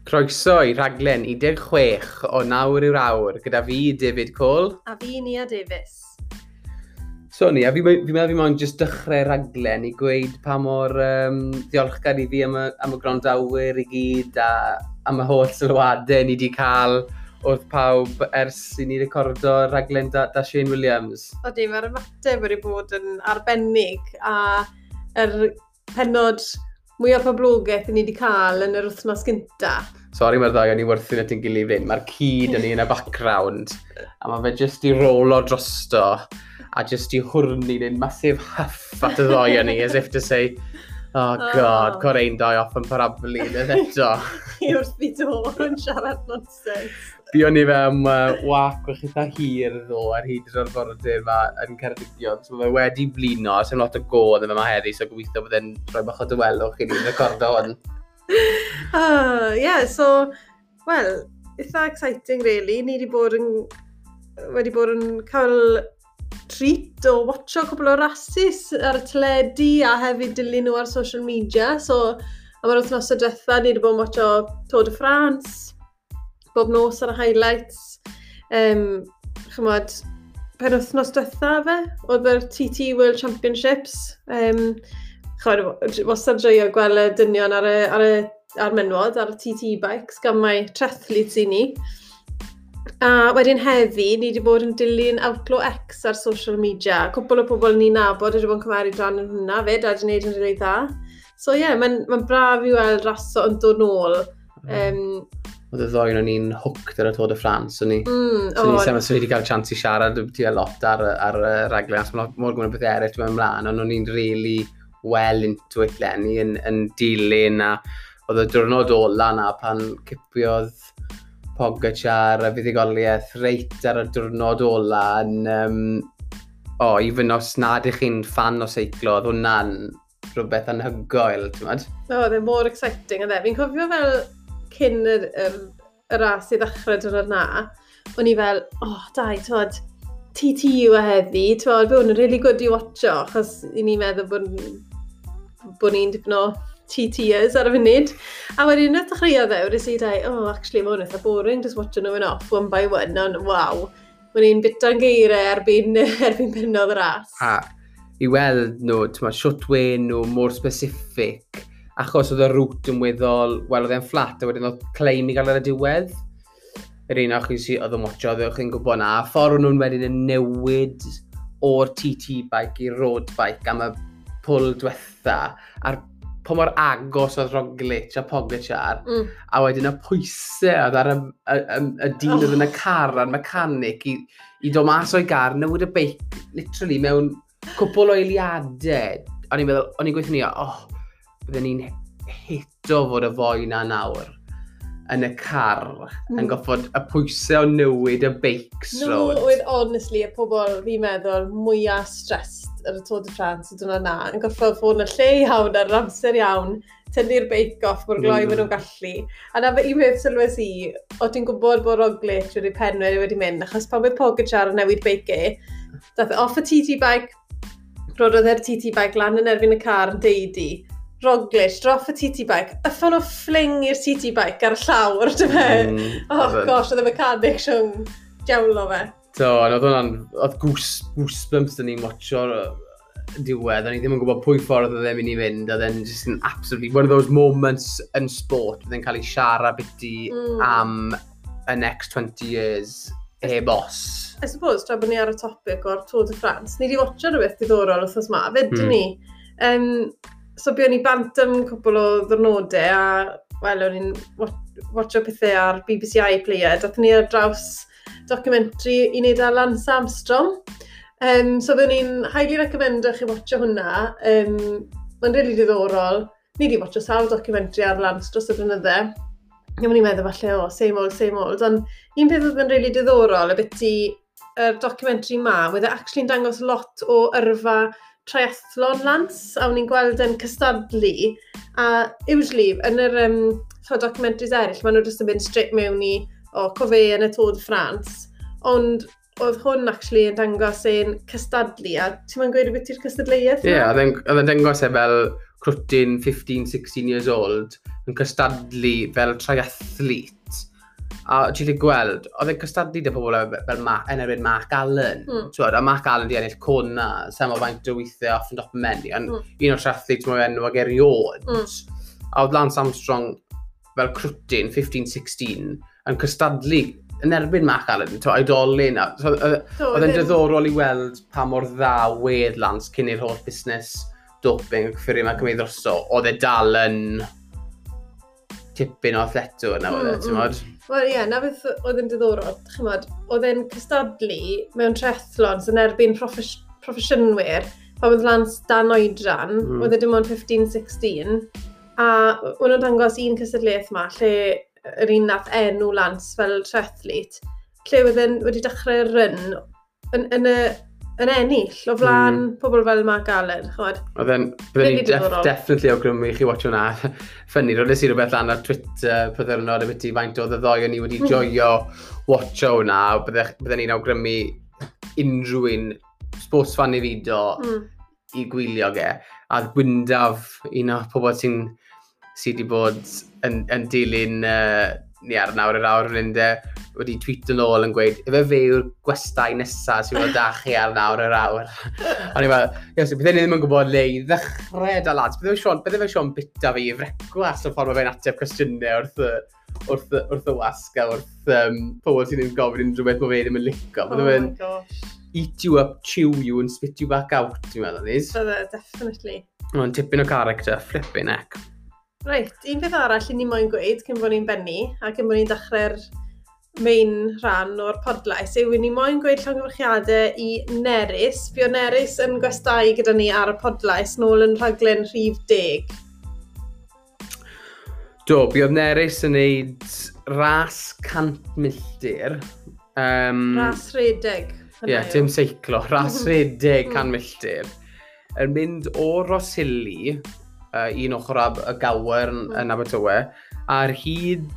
Croeso i rhaglen 16 o Nawr yw'r Awr gyda fi, David Cole. A fi, Nia Davies. So Nia, fi meddwl fi moyn jyst dechrau rhaglen i gweud pa mor diolchgar i fi am y gwrandawyr i gyd a am y holl sylwadau ni wedi cael wrth pawb ers i ni recordo rhaglen da Shane Williams. Odi, mae'r ymateb wedi bod yn arbennig a yr pennod mwyaf poblogaidd ni wedi cael yn yr wythnos gynta. Sori, mae'r ddau o'n i wrthyn at ein gilydd fynd. Mae'r cyd yn ni yn y background. A mae fe jyst i rolo drosto a jyst i hwrni neu'n massive huff at y ddau o'n ni, as if to say, "Oh God, oh. Cor ein dau off yn parablu, yn eto." I wrth fi do yn siarad nonsense. Buon ni fe am wac o'ch eitha hir ddo ar hyd yr arfordir yma yn Ceredigion. So mae fe wedi blino, sy'n lot o god yn yma heddi, so gobeithio bod e'n rhoi bach o dawelwch i ni'n recordo hwn. Yeah, so, well, eitha exciting really. Ni wedi bod yn cael treat o watcho cwbl o rasis ar y teledu a hefyd dilyn nhw ar social media. So, am yr wythnosau diwetha, ni wedi bod yn watcho Tour de France, bob nos ar y highlights. Chymod, pen wythnos diwetha fe, oedd yr TT World Championships. Chymod, wastad joio gweld y dynion ar menwod, ar y TT bikes, gan mai triathletes i ni. A wedyn heddi, ni wedi bod yn dilyn Outlaw X ar social media. Cwpl o pobl ni'n nabod wedi bod yn cymryd rhan yn hwnna fyd, a wedi gwneud yn rili dda. So ie, yeah, mae'n braf i weld raso yn dod nôl. Oedd y ddoi o'n ni'n hooked ar y Tour de France, o'n ni. So ni, so ni wedi cael chance i siarad ti lot ar y raglen, achos mae mor gwneud beth eraill dwi'n ymlaen, ond o'n ni'n really well into it leni, yn dilyn, a oedd y diwrnod ola na pan cipiodd Pogacar a fuddugoliaeth reit ar y diwrnod ola yn, oh, even os nad ych chi'n fan o seiclo, oedd hwnna'n rhywbeth anhygoel, ti'n meddwl? O, oedd e mor exciting, oedd e. Fi'n cofio fel cyn y ras i ddechrau diwrnod na, o'n i fel, "Oh, dai, twod, TT yw e heddi, twod, fe hwn yn really good i watcho," achos i ni'n meddwl bod ni'n dipyn o TTers ar y funud. A wedyn, wnaeth dechreuodd e, wedi si dau, "Oh, actually, mae hwn eitha boring, just watching nhw yn off one by one," ond waw, o'n i'n bita'n geiriau erbyn pennodd y ras. A i weld nhw, ti'n siwt wen nhw mor specific, achos oedd y route yn weddol, wel, oedd e'n flat, a wedyn oedd climb i gael ar y diwedd. Yr un o'ch chi sydd oedd yn watcho, oedd chi'n gwybod na. A ffordd nhw'n wedyn yn newid o'r TT bike i'r road bike am y pwl diwetha, a'r pa mor agos oedd Roglic a Pogacar, a wedyn y pwysau oedd ar y dyn oedd yn y car a'r mechanic i dod mas o'i gar, newid y beic, literally mewn cwpl o eiliadau. O'n i'n meddwl, o'n i'n gweithio ni, "Oh, bydden ni'n hito fod y foi na nawr yn y car, yn goffod y pwysau o newid y beics." No, oedd honestly y pobl fi'n meddwl mwyaf stressed ar y Tour de France y diwrnod na, yn gorfod fod yn y lle iawn ar yr amser iawn, tynnu'r beic off mor gloi maen nhw'n gallu. A na fe un peth sylwes i, o ti'n gwybod bod Roglic wedi penwe wedi mynd, achos pan oedd Pogacar yn newid beic e, dath e off y TT bike, rododd e'r TT bike lan yn erbyn y car yn deudi, Roglic, droff y TT bike, yffon o fling i'r TT bike ar y llawr, dy fe. Oh gosh, oedd y mechanic siwng diawlo fe. So, ond oedd hwnna'n, oedd goosebumps dyn ni'n watcho'r diwedd, o'n i ddim yn gwybod pwy ffordd oedd e'n mynd i fynd, oedd e'n just yn absolutely, one of those moments yn sport, oedd e'n cael ei siarad biti am y next 20 years, heb os. I suppose, tra bod ni ar y topic o'r Tour de France, ni wedi watcho rhywbeth diddorol wythnos ma, fyd ni. So buon ni bant am cwpl o ddwrnodau a, wel, o'n i'n watcho pethau ar BBC iPlayer. Dathon ni ar draws documentary i wneud â Lance Armstrong. So byddwn ni'n highly recommendo chi watcho hwnna. Mae'n really diddorol. Ni wedi watcho sawl documentary ar Lance dros y blynydde. A o'n i'n meddwl falle, "O, same old, same old." Ond un peth oedd yn really diddorol, y byti yr documentary ma, oedd e actually'n dangos lot o yrfa triathlon Lance, a o'n i'n gweld e'n cystadlu. A usually, yn yr ch'od, documentaries eraill, maen nhw jyst yn mynd straight mewn i, o, cofe yn y Tour de France. Ond oedd hwn actually yn dangos e'n cystadlu, a ti'n mynd gweud beth i'r cystadleuaeth Ie, yeah, oedd e'n dangos e fel crwtyn 15, 16 years old, yn cystadlu fel triathlete. A ti'n gallu gweld, oedd e'n cystadlu 'da pobl fel yn erbyn Mark Allen. T'wod, a Mark Allen di ennill Kona, sa mo faint o weithiau off yn top many, ond un o'r triathletes mwy enwog erioed. A oedd Lance Armstrong fel crwtyn, 15-16, yn cystadlu yn erbyn Mark Allen, to, oedolyn. So, oedd e'n diddorol i weld pa mor dda wedd Lance cyn i'r holl busnes doping ac cyffuriau yma cymryd drosto. Oedd e dal yn tipyn o athletwr na oedd e, ti'n modd? Wel ie, yeah, na beth oedd yn diddorol, chymod, oedd e'n cystadlu mewn triathlons yn erbyn proffesiynwyr, pan oedd Lance dan oedran, oedd e dim ond 15-16, a o'n nhw'n dangos un cystadleuaeth yma, lle yr un nath enw Lance fel triathlete, lle oedd e'n wedi dechrau run yn ennill o flaen pobl fel Mark Allen, chymod. Oedd e'n, byddwn ni definitely awgrymu i chi watch hwnna. Funny, roedd i rhywbeth lan ar Twitter pythefnod ambiti faint oedd y ddoi o'n ni wedi joio watcho hwnna. Bydden ni'n awgrymu unrhyw un sports fan i fido i gwylio ge. A Gwyndaf, un o pobl sydd wedi bod yn dilyn ni ar nawr yr awr fan hyn de, wedi tweet yn ôl yn gweud, ife fe yw'r gwestai nesaf sy'n bod da chi ar nawr yr awr? O'n i fel, yes, bydden ni ddim yn gwybod le i ddechrau da lads. Bydde fe Sean bita fi i frecwast o'r ffordd mae fe'n ateb cwestiynau wrth y wasg a wrth pobl sy'n ddim gofyn unrhyw beth mae fe ddim yn licio. Bydde oh fe'n eat you up, chew you and spit you back out, ti'n meddwl, Nis? Bydde, definitely. Mae'n tipyn o character, flipping heck. Reit, un peth arall i ni moyn gweud cyn bod ni'n bennu a cyn bod ni'n dechrau'r main rhan o'r podlais yw i ni moyn gweud llongyfarchiadau i Nerys. Fuodd Nerys yn gwestai gyda ni ar y podlais nôl yn rhaglen rhif 10. Do, buodd Nerys yn neud ras 100 milltir. Ras redeg. Ie, yeah, dim seiclo, ras redeg 100 milltir. Yn mynd o Rosili, un ochr y Gower yn Abertawe, ar hyd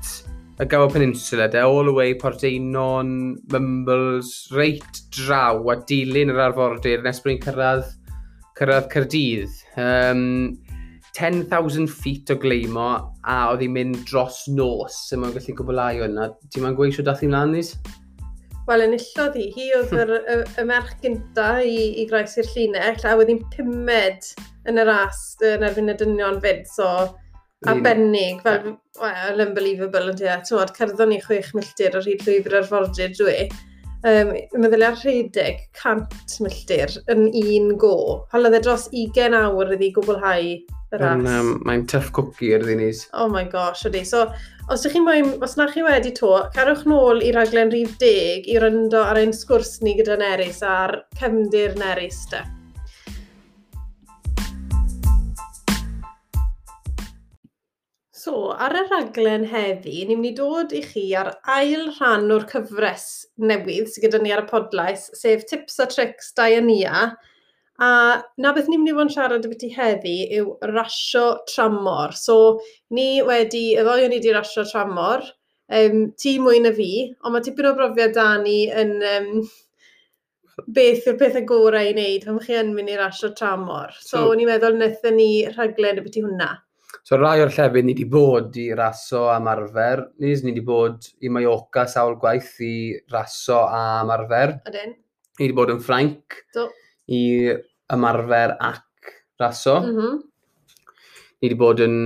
y Gower Peninsula, de, all the way Porteinon, Mumbles, reit draw a dilyn yr arfordir nes bod ni'n cyrraedd Caerdydd. 10,000 feet o gleimo a oedd hi'n mynd dros nos, sy'n mae'n gallu gwblhau hwnna. Ti'n ma'n gweud sio dath hi mlaen, Nis? Wel, enillodd hi. Hi oedd y merch gynta i groesi'r llinell, a oedd hi'n pumed yn y ras yn erbyn y dynion fyd, so arbennig, fel, well, unbelievable, yn ti'n modd, cerddon ni 6 milltir ar hyd llwybr arfordir dwi. Meddylia rhedeg 100 milltir yn un go. Halodd e dros 20 awr iddi gwblhau y ras. Mae'n tough cookie ar ddyn. Oh my gosh, ydy. So, os ydych chi'n moyn, os na chi wedi to, cerwch nôl i raglen rhif 10 i ryndo ar ein sgwrs ni gyda Nerys a'r cefndir Nerys de. So, ar y rhaglen heddi, ni'n mynd i dod i chi ar ail rhan o'r cyfres newydd sydd gyda ni ar y podlais, sef Tips a Tricks Diania. A na beth ni'n mynd i fod yn siarad ambiti heddi yw rasio tramor. So, ni wedi, y ddoi o'n i wedi rasio tramor, ti mwy na fi, ond mae tipyn o brofiad da ni yn beth yw'r pethau gorau i wneud pan chi yn mynd i rasio tramor. So, o'n i'n meddwl wnaethon ni rhaglen ambiti hwnna. So rai o'r llefydd ni wedi bod i raso am arfer, ni wedi bod i Mallorca sawl gwaith i raso am arfer. Ydyn. Ni wedi bod yn Ffrainc i ymarfer ac raso. Ni wedi bod yn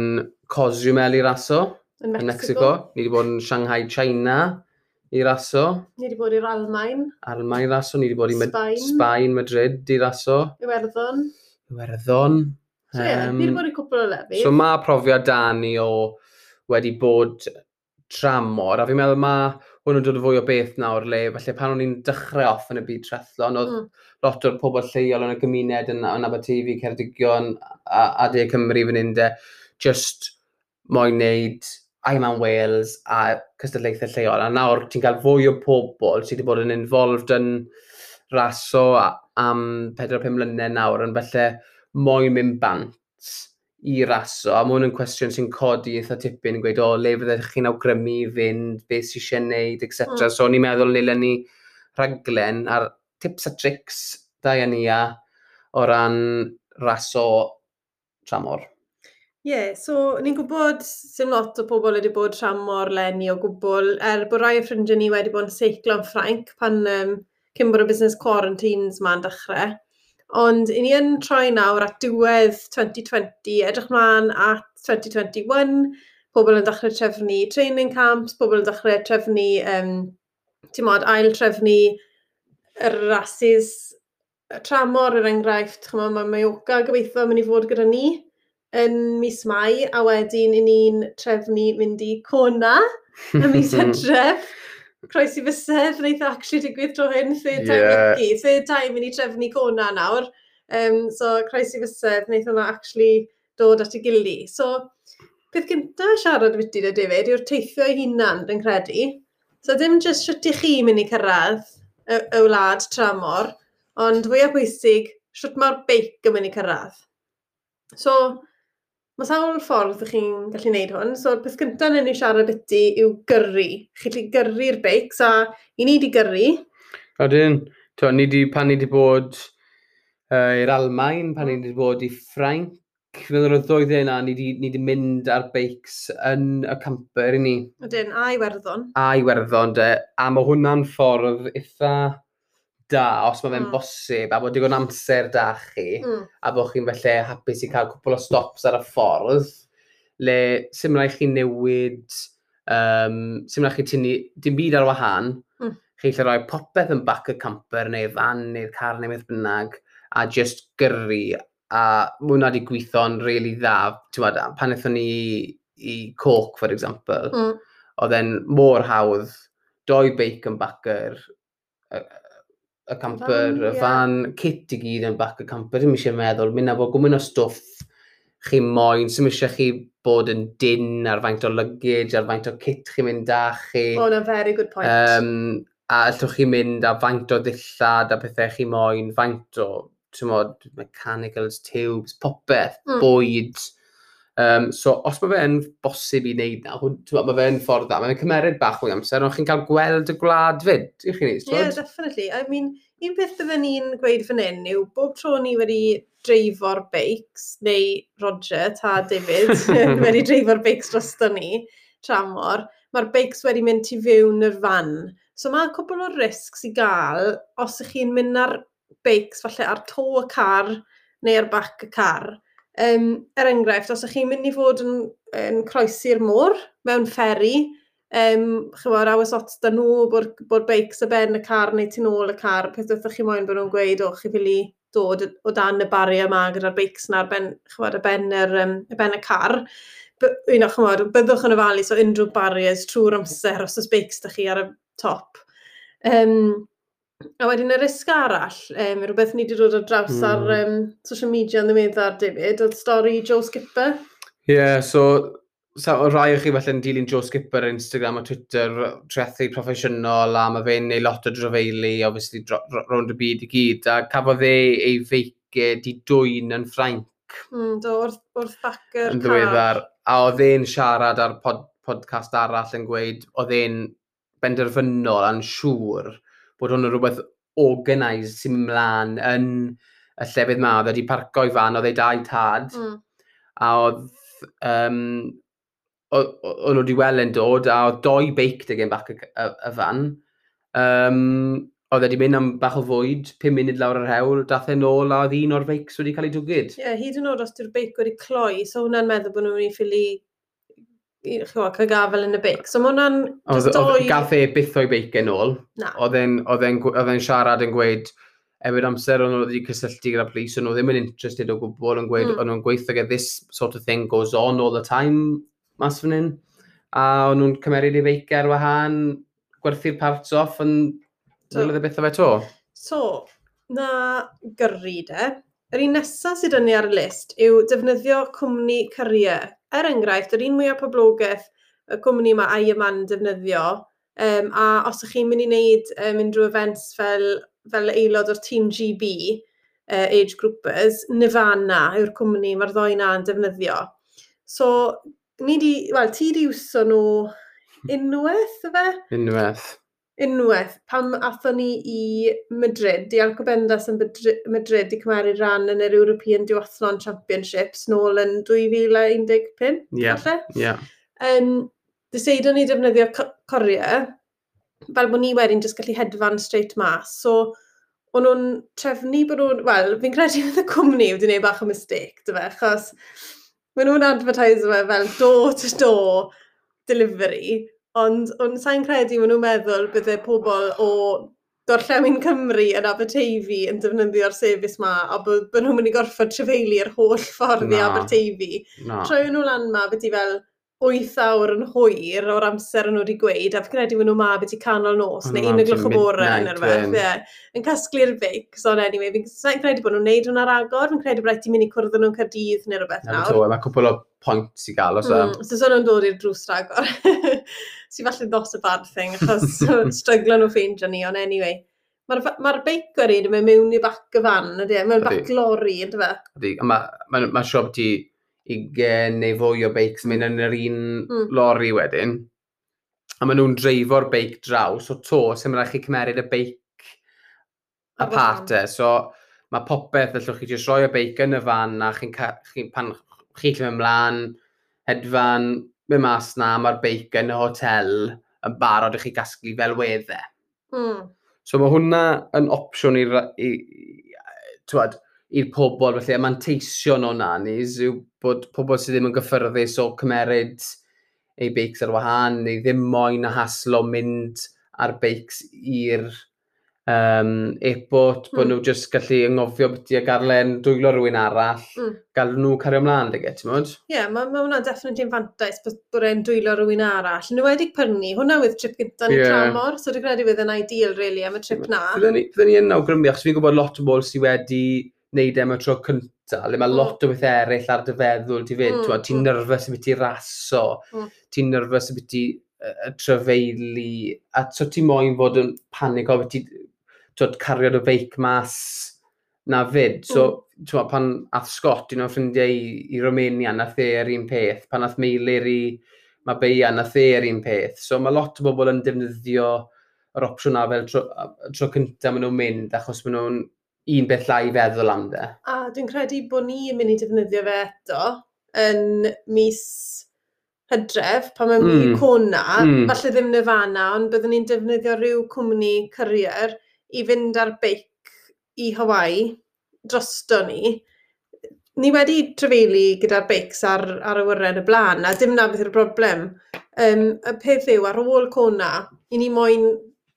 Cozumel i raso. Yn Yn Mexico. Ni wedi bod yn Shanghai, China i raso. Ni wedi bod i'r Almaen. Almaen i raso. Ni wedi bod i Sbaen. Sbaen, Madrid i raso. Iwerddon. Iwerddon. So ie, ni wedi bod i cwpl o lefydd. So mae profiad da ni o wedi bod tramor, a fi'n meddwl mae hwn yn dod o fwy o beth nawr le, felly pan o'n i'n dechrau off yn y byd triathlon, oedd lot o'r pobl lleol yn y gymuned yn Aberteifi, Ceredigion a De Cymru fan hyn de, just moyn neud Ironman Wales a cystadlaethau lleol. A nawr ti'n cael fwy o pobl sydd wedi bod yn involved yn raso am 4-5 mlynedd nawr, yn felly moyn mynd bant i raso, a mae hwn yn cwestiwn sy'n codi eitha tipyn yn gweud, o, le fyddech chi'n awgrymu i fynd, beth sy'n eisiau neud, et cetera. So, o'n i'n meddwl nilen ni rhaglen ar tips a tricks Diania o ran raso tramor. Ie, yeah, so ni'n gwybod sy'n lot o pobl wedi bod tramor leni o gwbl, er bod rai o ffrindiau ni wedi bod yn seiclo yn Ffrainc pan cyn bod y business quarantines ma'n dechrau. Ond i ni yn troi nawr at diwedd 2020, edrych mlaen at 2021, pobl yn dechrau trefnu training camps, pobl yn dechrau trefnu, ti'n mod, ail trefnu y rasis tramor, er enghraifft, chymod, mae Mallorca gobeithio mynd i fod gyda ni yn mis Mai, a wedyn i ni'n trefnu mynd i Kona yn mis Hydref. Croesi fysedd, wneith actually digwydd tro hyn, third time lucky. Third time i ni trefnu Kona nawr. So, croesi fysedd, wneith hwnna actually dod at ei gili. So, peth gyntaf siarad byti da, David, yw'r teithio ei hunan, dwi'n credu. So, dim jyst sut i chi mynd i cyrraedd y wlad tramor, ond fwyaf pwysig, sut mae'r beic yn mynd i cyrraedd. So, mae sawl ffordd ych chi'n gallu gwneud hwn. So, peth gyntaf yn ni siarad byti yw gyrru. Chi'n gallu gyrru'r beics, a i ni di gyrru. Odyn, ni di, pan ni di bod i'r Almain, pan ni di bod i Ffrainc, feddwl o'r ddwy dde yna, ni di mynd ar beics yn y camper i ni. Odyn, a Iwerddon. A Iwerddon, de. A mae hwnna'n ffordd eitha da, os mae fe'n bosib, a bod digon amser da chi, a bod chi'n felly hapus i cael cwpl o stops ar y ffordd, le sy'n rhaid chi newid, sy'n rhaid chi tynnu dim byd ar wahân, chi'n gallu rhoi popeth yn back y camper neu fan neu'r car neu beth bynnag, a just gyrru, a mae hwnna wedi gweithio'n really dda. T'mod, pan aethon ni i Cork, for example, oedd e'n mor hawdd, doi beic yn back y camper, Van, y fan, kit i gyd yn back y camper, ddim eisiau meddwl, mynd â bod gwmyn o stwff chi moyn, sy'm eisiau chi bod yn dyn ar faint o luggage, ar faint o kit chi'n mynd â chi. Oh, na, very good point. A allwch chi mynd â faint o ddillad a pethau chi moyn, faint o, t'mod, mechanicals, tubes, popeth, bwyd. So, os mae fe'n bosib i wneud na, t'mod, mae fe'n ffordd dda. Mae'n cymeryd bach mwy amser, ond chi'n cael gweld y gwlad fyd, ych chi'n neud, Yeah, definitely. I mean, un peth bydden ni'n gweud fan hyn yw bob tro ni wedi dreifo'r beics, neu Roger, ta David, wedi dreifo'r beics drosto ni, tramor, mae'r beics wedi mynd tu fewn yr fan. So mae cwpl o risks i gael os ych chi'n mynd ar beics, falle ar to y car neu ar back y car. Er enghraifft, os ych chi'n mynd i fod yn croesi'r môr mewn fferi, chymod, aws ots da nhw bod beics y ben y car neu tu nôl y car, peth wrth chi moyn bod nhw'n gweud, "O, chi ffili dod o dan y barrier yma gyda'r beics na ar ben, chymod, y ben y car." Chymod, byddwch yn ofalus o unrhyw barriers trwy'r amser os oes beics da chi ar y top. A wedyn y risg arall, rhywbeth ni wedi dod ar draws ar social media yn ddiweddar, David, oedd stori Joe Skipper. Ie, yeah, so o rai o chi felly'n dilyn Joe Skipper ar Instagram a Twitter, triathlete proffesiynol, a mae fe'n neud lot o drafeili, obviously, rownd y byd i gyd, a cafodd e ei feic di dwyn yn Ffrainc Do, wrth bac yr yn ddiweddar, a oedd e'n siarad ar podcast arall yn gweud, oedd e'n benderfynol a'n siŵr bod hwn yn rhywbeth organised sy'n mynd mlaen yn y llefydd ma. Oedd e wedi parco i fan, oedd ei dau tad, a oedd, o'n nhw wedi weld e'n dod, a oedd doi beic 'da gen back y fan. Oedd e wedi mynd am bach o fwyd, 5 munud lawr yr hewl, dath e nôl a oedd un o'r beics wedi cael ei dwgyd. Ie, yeah, hyd yn oed os dyw'r beic wedi cloi, so hwnna'n meddwl bod nhw'n mynd i ffili chymod, cael gafel yn y beic. So mae hwnna'n just doi. Gath e byth o'i beic yn ôl. Na. Oedd e'n siarad yn gweud, efo'r amser o'n nhw wedi cysylltu gyda police, o'n nhw ddim yn interested o gwbl, yn gweud, o'n nhw'n gweithio gyda "This sort of thing goes on all the time" mas fan hyn. A o'n nhw'n cymeryd ei feic ar wahân, gwerthu'r parts off, yn welodd e byth o fe to. So, na gyrru de. Yr un nesaf sydd ni ar y list yw defnyddio cwmni courier. Er enghraifft, yr un mwyaf poblogaidd, y cwmni mae Ironman defnyddio, a os ych chi'n mynd i wneud unrhyw events fel aelod o'r Team GB, age groupers, Nirvana yw'r cwmni mae'r ddoi na yn defnyddio. So, ni di, wel, ti di iwso nhw unwaith, yfe? Unwaith. Unwaith, pam athon ni i Madrid, i Alcobendas yn Madrid i cymeru ran yn yr European Duathlon Championships nôl yn 2015, falle? Yeah. Deseidon ni defnyddio courier, fel bod ni wedyn jyst gallu hedfan straight mas. So, o'n nhw'n trefnu bod nhw'n... Wel, fi'n credu fydd y cwmni wedi gwneud bach o mistake, dy fe, achos maen nhw'n advertise fe fel door-to-door delivery, ond sa'n credu maen nhw'n meddwl bydde pobl o Gorllewin Cymru yn Aberteifi yn defnyddio'r service ma, a bod nhw'n mynd i gorfod trafeilu'r holl ffordd i Aberteifi. Troi nhw lan ma, beth i fel 8 awr yn hwyr o'r amser yn nhw wedi gweud, a fi credu maen nhw ma beth i canol nos, neu 1 o'gloch y bore yn rhywbeth, ie. Yn casglu'r beic, so anyway, fi'n sa'n credu bod nhw'n neud hwnna ragor, fi'n credu bod rhaid ti mynd i cwrdd â nhw'n Caerdydd neu rhywbeth nawr. To, mae cwpl o points i gael, os e. So so nhw'n dod i'r drws ragor. Sy'n falle not a bad thing, achos stryglo nhw ffeindio ni, ond anyway. Mae'r ma beic o'r un yn mynd mewn i bac y fan, ydy e? Mewn bac lori, ydy fe? Ydy, a mae ma, ma siop ti 20 neu fwy o beics yn mynd yn yr un lori wedyn. A maen nhw'n dreifo'r beic draw, so to, sy'n rhaid chi cymeryd y beic apart e. So mae popeth, allwch chi jyst rhoi y beic yn y fan a chi'n chi, pan chi'n gallu mynd mlaen, hedfan, mynd mas na, mae'r beic yn y hotel yn barod i chi gasglu fel wedd e. So mae hwnna yn opsiwn i'r i, t'wod, i'r pobl, felly y manteision o'na nis yw bod pobl sydd ddim yn gyffyrddus o cymeryd eu beics ar wahân, neu ddim moyn a haslo mynd ar beics i'r airport, bod nhw jyst gallu anghofio beth i a garlen dwylo rhywun arall, gael nhw cario ymlaen, dy ti'n modd? Ie, yeah, mae ma hwnna'n definitely yn fantais bod e'n dwylo rhywun arall. Yn enwedig pyrnu, hwnna oedd trip gyntaf ni tramor, so dwi'n credu fydd yn ideal, really, am y trip na. Fydden ni yn awgrymu, achos fi'n gwybod lot o bobl sydd wedi wneud e am y tro cynta, le mae lot o beth eraill ar dy feddwl ti fyd, ti'n nervous am beth i raso, ti'n nervous am beth i trafeili, a so ti moyn fod yn panic o beth i t'wod, cario dy feic mas na fyd. So, t'wod, pan ath Scott, un o'n ffrindiau i Romania, nath e yr un peth. Pan ath Meilir i Marbella, nath e yr un peth. So mae lot o bobl yn defnyddio yr opsiwn na fel tro cyntaf maen nhw'n mynd, achos maen nhw'n un beth llai i feddwl am de. A dwi'n credu bod ni yn mynd i defnyddio fe eto yn mis Hydref, pan mae'n mynd i Kona, falle ddim Nirvana, ond byddwn ni'n defnyddio rhyw cwmni courier i fynd ar beic i Hawaii drosto ni. Ni wedi trafeili gyda'r beics ar awyren y blaen, a dim na beth yw'r broblem. Y peth yw, ar ôl Kona, i ni moyn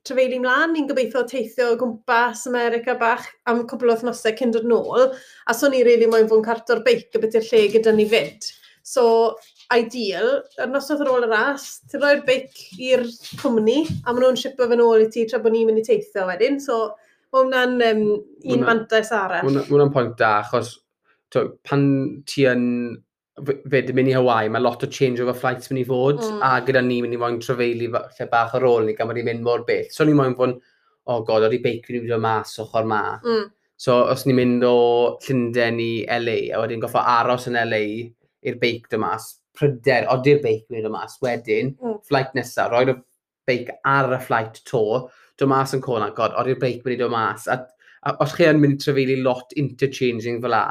trafeili mlaen, ni'n gobeithio teithio o gwmpas America bach am cwpl o wythnosau cyn dod nôl, a so ni really moyn fod yn carto'r beic a beth yw'r lle gyda ni fyd. So, ideal, yr noswaith ar ôl y ras, ti'n rhoi'r beic i'r cwmni, a maen nhw'n shipo fe nôl i ti tra bod ni'n mynd i teithio wedyn. So, mae hwnna'n un mantais arall. Ma' hwnna'n pwynt da, achos t'wo, pan ti yn fyd yn mynd i Hawaii, mae lot o changeover flights mynd i fod, a gyda ni mynd i moyn trafeili lle bach ar ôl ni, gan bod ni'n mynd mor bell. So ni moyn fod, oh god, o'r i beic fi'n mynd mas ochr ma. So os ni'n mynd o Llundain i LA, a wedyn goffo aros yn LA i'r beic dod mas, pryder, odi'r beic mynd o mas, wedyn, flight nesaf, roi'r beic ar y flight to, dod mas yn Kona, god, odi'r beic mynd i dod mas. A os chi yn mynd i trafeili lot interchanging fel la,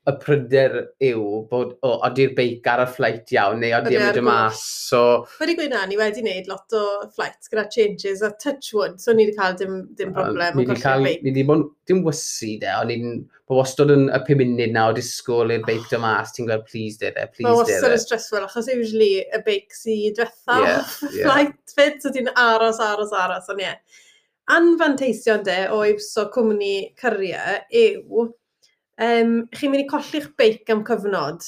y pryder yw bod, o, odi'r beic ar y flight iawn, neu odi Odi e'n ar mynd o goll. mas. So, Wedi gweud na, ni wedi wneud lot o flights gyda changes a touch wood, so ni wedi cael dim broblem ni o wedi golli'r cael, beic. ni wedi bod, dim wysi de, ond ni'n bod wastad yn y 5 munud na o disgwyl i'r beic dod mas, ti'n gweld, please dere, Mae please wastad dere. yn stressful, achos usually y beic sydd diwetha off y flight fyd, so ti'n aros, aros, aros, ond ie. Anfanteision de o iwso cwmni courier yw, chi'n mynd i colli'ch beic am cyfnod,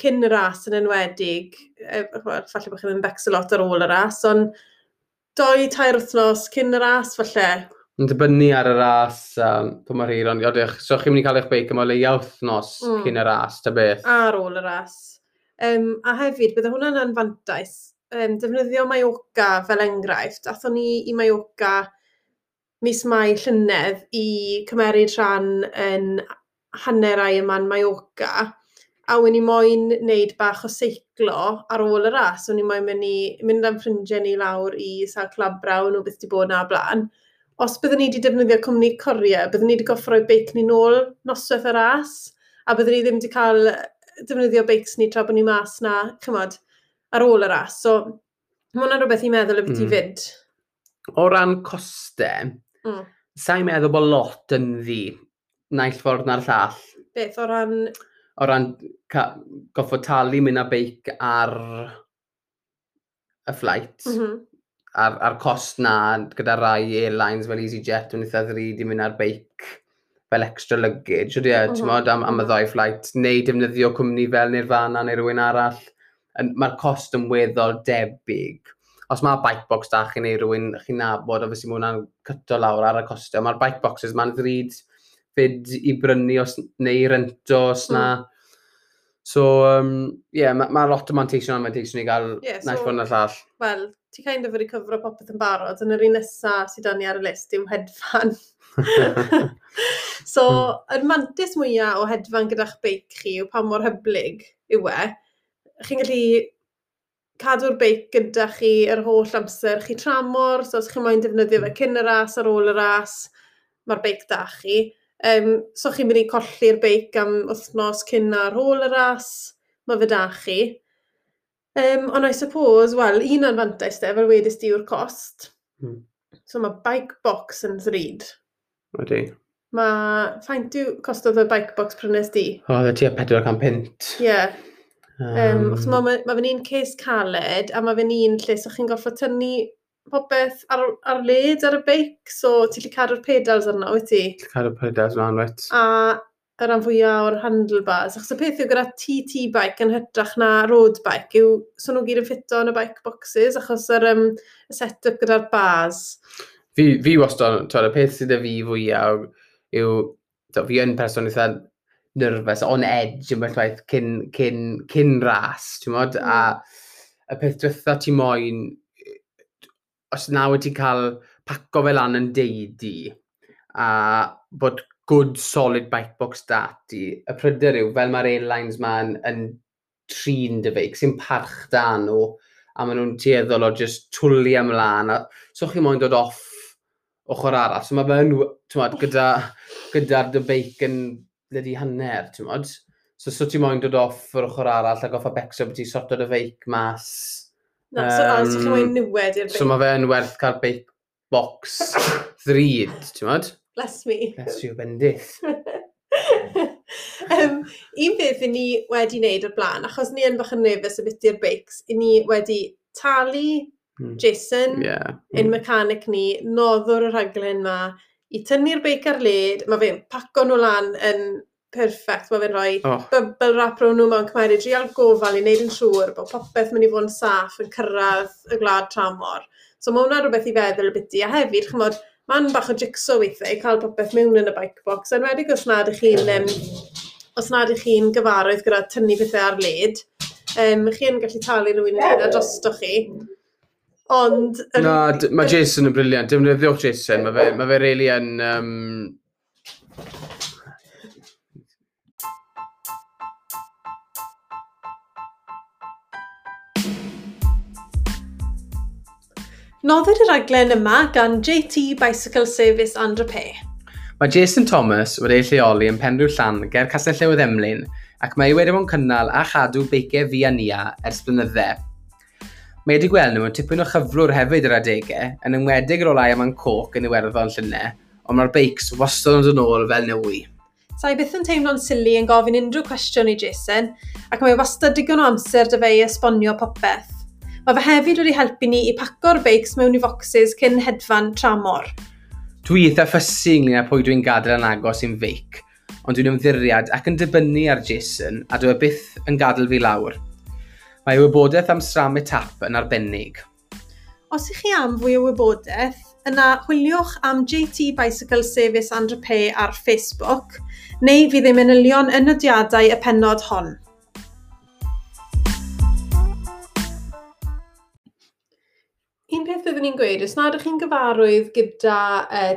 cyn y ras yn enwedig, wel, falle bod chi ddim yn becso lot ar ôl y ras, ond 2, 3 wythnos cyn y ras falle. Yn dibynnu ar y ras, pa mor hir, ond odych, so chi'n mynd i cael eich beic am o leia wythnos cyn y ras, ta beth. Ar ôl y ras. A hefyd, bydde hwnna'n anfantais. Defnyddio Mallorca fel enghraifft. Athon ni i Mallorca mis Mai llynedd i cymeryd rhan yn hanner Ironman Mallorca. A wen i moyn wneud bach o seiclo ar ôl y ras. O'n i moyn mynd am ffrindiau ni lawr i sawl Clwb nhw beth di bod na blaen. Os byddwn ni wedi defnyddio cwmni courier, byddwn ni wedi goffo rhoi beic ni nôl noswaith y ras, a byddwn ni ddim wedi cael defnyddio beics ni tra bod ni mas na, chymod, ar ôl y ras. So, mae hwnna'n rhywbeth i meddwl y beth i fyd. O ran costau, sa'n meddwl bod lot yn ddi, naill ffordd na'r llall. Beth, o ran... O ran goffod talu mynd â beic ar y flight, a'r cost na gyda rai airlines fel EasyJet, yn eitha ddrud i mynd ar beic fel extra luggage, ydy e, ti'n modd, am y ddau flight, neu defnyddio cwmni fel Nirvana neu rhywun arall. Mae'r cost yn weddol debyg. Os mae bike box da chi neu rhywun chi'n nabod, obviously mae hwnna'n cyto lawr ar y costio. Mae'r bike boxes ma'n ddrud fyd i brynu os, neu i rento os na. So, yeah, ma lot o manteision a manteision i gael naill ffordd na'r llall. Wel, ti kind of wedi cyfro popeth yn barod, yn yr un nesaf sydd 'da ni ar y list yw hedfan. So, yr mantais mwyaf o hedfan gyda'ch beic chi yw pa mor hyblyg yw e. Chi'n gallu cadw'r beic gyda chi yr holl amser chi tramor, so os chi'n moyn defnyddio fe cyn y ras, ar ôl y ras, mae'r beic da chi. So chi'n mynd i colli'r beic am wythnos cyn ar ôl y ras, mae fe da chi. Ond I suppose, wel, un anfantais de, fel wedys di, yw'r cost. So mae bike box yn ddrud. Ydy. Mae, faint yw costodd y bike box prynes di? O, oh, tua 400 punt. Ie. Yeah. Achos ma fe'n un case caled, a mae fe'n un lle so chi'n gorfod tynnu popeth ar led ar y beic, so ti'n gallu cadw'r pedals arno, wyt ti? Cadw'r pedals mlaen, wyt. A y rhan fwyaf o'r handlebars. Achos y peth yw gyda TT bike yn hytrach na road bike yw, so nhw gyd yn ffito yn y bike boxes, achos y set-up gyda'r bars. Fi wastad, twel, y peth sydd â fi fwyaf yw, to, fi yn person eitha nervous, on edge yn bell waith cyn ras, ti'n modd? A y peth diwetha ti moyn, os na wedi cael paco fel lan yn deidi, a bod good solid bike box da ti, y pryder yw, fel mae'r airlines ma yn trin dy feic, sy'n parch da nhw, a maen nhw'n tueddol o just twlu ymlaen, a so chi moyn dod off ochr arall. So mae fe'n, ti'n gyda'r dy beic yn blydi hanner, ti'n modd. So ti moyn dod off yr ochr arall a goffa becso bod ti sorto dy feic mas. Na, so chi moyn niwed i'r beic. So mae fe'n werth cael beic box ddrud, ti'n modd? Bless me. Bless you, bendith. Un peth i ni wedi wneud o'r blaen, achos ni yn bach yn nervous about i'r beics, i ni wedi talu Jason, ein mechanic ni, noddwr y rhaglen ma, i tynnu'r beic ar led, mae fe'n paco nhw lan yn perfect, mae fe'n rhoi bubble wrap rownd nhw mewn cymeru drial gofal i wneud yn siŵr bod popeth mynd i fod yn saff yn cyrraedd y gwlad tramor. So mae hwnna rhywbeth i feddwl byti, a hefyd, chymod, mae'n bach o jigsaw weithiau i cael popeth mewn yn y bike box, enwedig os nad ych chi'n gyfarwydd gyda tynnu pethau ar led, chi yn gallu talu rhywun i wneud e drosto chi. Ond... Na, mae Jason yn brilliant. Defnyddiwch Jason. Mae fe really yn... Noddir y rhaglen yma gan JT Bicycle Service and Repair. Mae Jason Thomas wedi ei lleoli yn Penrhyw Llan ger Castell Newydd Emlyn ac mae wedi bod yn cynnal a chadw beiciau fi a Nia ers blynydde. Mae wedi gweld nhw yn tipyn o chyflwr hefyd yr adegau, yn enwedig ar ôl Ironman Cork yn Iwerddon llynedd, ond mae'r beics wastad yn dod nôl fel newi. Sa i byth yn teimlo'n silly yn gofyn unrhyw cwestiwn i Jason, ac mae wastad digon o amser dy fe i esbonio popeth. Mae fe hefyd wedi helpu ni i paco'r beics mewn i focsys cyn hedfan tramor. Dwi eitha fussy ynglyn â pwy dwi'n gadael yn agos i'n feic, ond dwi'n ymddiriad ac yn dibynnu ar Jason a dwi e byth yn gadael fi lawr. Mae wybodaeth am SRAM eTap yn arbennig. Os ych chi am fwy o wybodaeth, yna chwiliwch am JT Bicycle Service and Repair ar Facebook, neu fydd ei manylion yn nodiadau y pennod hon. Un peth byddwn ni'n gweud, os nad ydych chi'n gyfarwydd gyda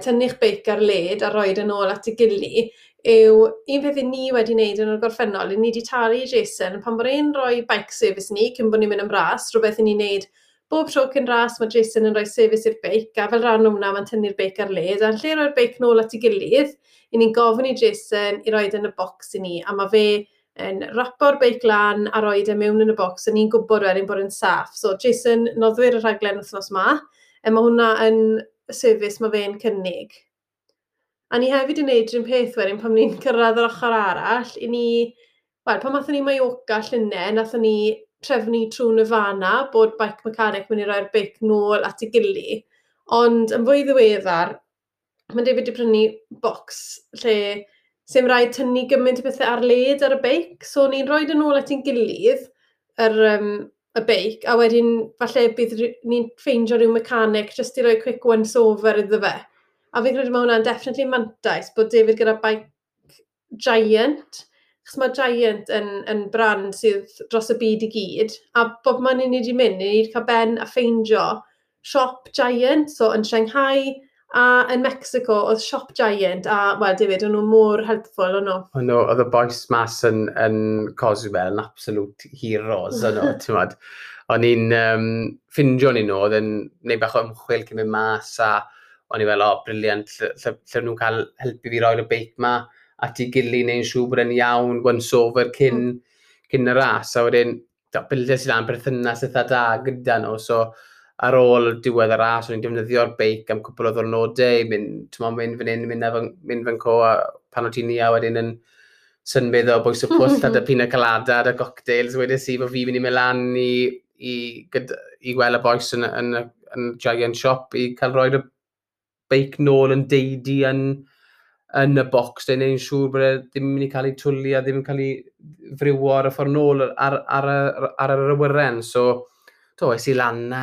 tynnu'ch beic ar led a roed yn ôl at y gili, yw un peth i ni wedi wneud yn y gorffennol, i ni wedi talu Jason pan bod e'n rhoi bike service ni cyn bod ni'n mynd am ras, rhywbeth i ni'n wneud bob tro cyn ras, mae Jason yn rhoi service i'r beic, a fel rhan o hwnna mae'n tynnu'r beic ar led, a'n lle roi'r beic nôl at ei gilydd, i ni'n gofyn i Jason i roed yn y bocs i ni, a mae fe yn rapo'r beic lan a roed e mewn yn y bocs, a ni'n gwybod wedyn bod yn saff. So Jason, noddwyr y rhaglen wythnos ma, a mae hwnna yn service mae fe'n cynnig. A ni hefyd yn neud rhywun peth wedyn pan ni'n cyrraedd yr ochr arall, i ni, wel, pan nathon ni Mallorca llynedd, nathon ni trefnu trwy Nirvana bod bike mechanic mynd i roi'r beic nôl at ei gili. Ond yn fwy ddiweddar, mae David wedi prynu bocs lle sy'n rhaid tynnu gymaint o bethau ar led ar y beic. So ni'n rhoi yn ôl at ein gilydd y beic, a wedyn falle bydd ni'n ffeindio rhyw mechanic jyst i roi quick once over iddo fe. A fi'n credu mae hwnna'n definitely mantais bod David gyda bike Giant, achos mae Giant yn brand sydd dros y byd i gyd, a bob man i ni wedi mynd, ni wedi cael ben a ffeindio siop Giant, so yn Shanghai a yn Mexico oedd siop Giant, a wel David, o'n nhw mor helpful o'n nhw. O'n nhw, oedd y boys mas yn Cozumel yn absolute heroes o'n nhw, ti'n modd. O'n i'n ffindio ni nhw, oedd yn neud bach o ymchwil cyn mynd mas, a o'n i fel, "O, oh, brilliant, lle nhw'n cael helpu fi roi'r beic ma at ei gili neu'n siŵr bod e'n iawn, once over cyn y ras." A wedyn, do, bildes i lan berthynas eitha da gyda nhw, so ar ôl diwedd y ras, o'n i'n defnyddio'r beic am cwpl o ddwrnodau, mynd, t'mo, mynd fan hyn, mynd fan co, a pan o ti'n ni a wedyn yn symud o bwys y pwll a dy pina colada a dy cocktails, wedes i bod fi'n mynd i mynd lan i gweld y boys yn Giant Shop i cael roi'r beic nôl yn deidi yn y bocs, de, neu'n siŵr bod e ddim yn mynd i cael ei twlu a ddim yn cael ei friwo ar y ffordd nôl ar yr awyren. So, do, es i lan na,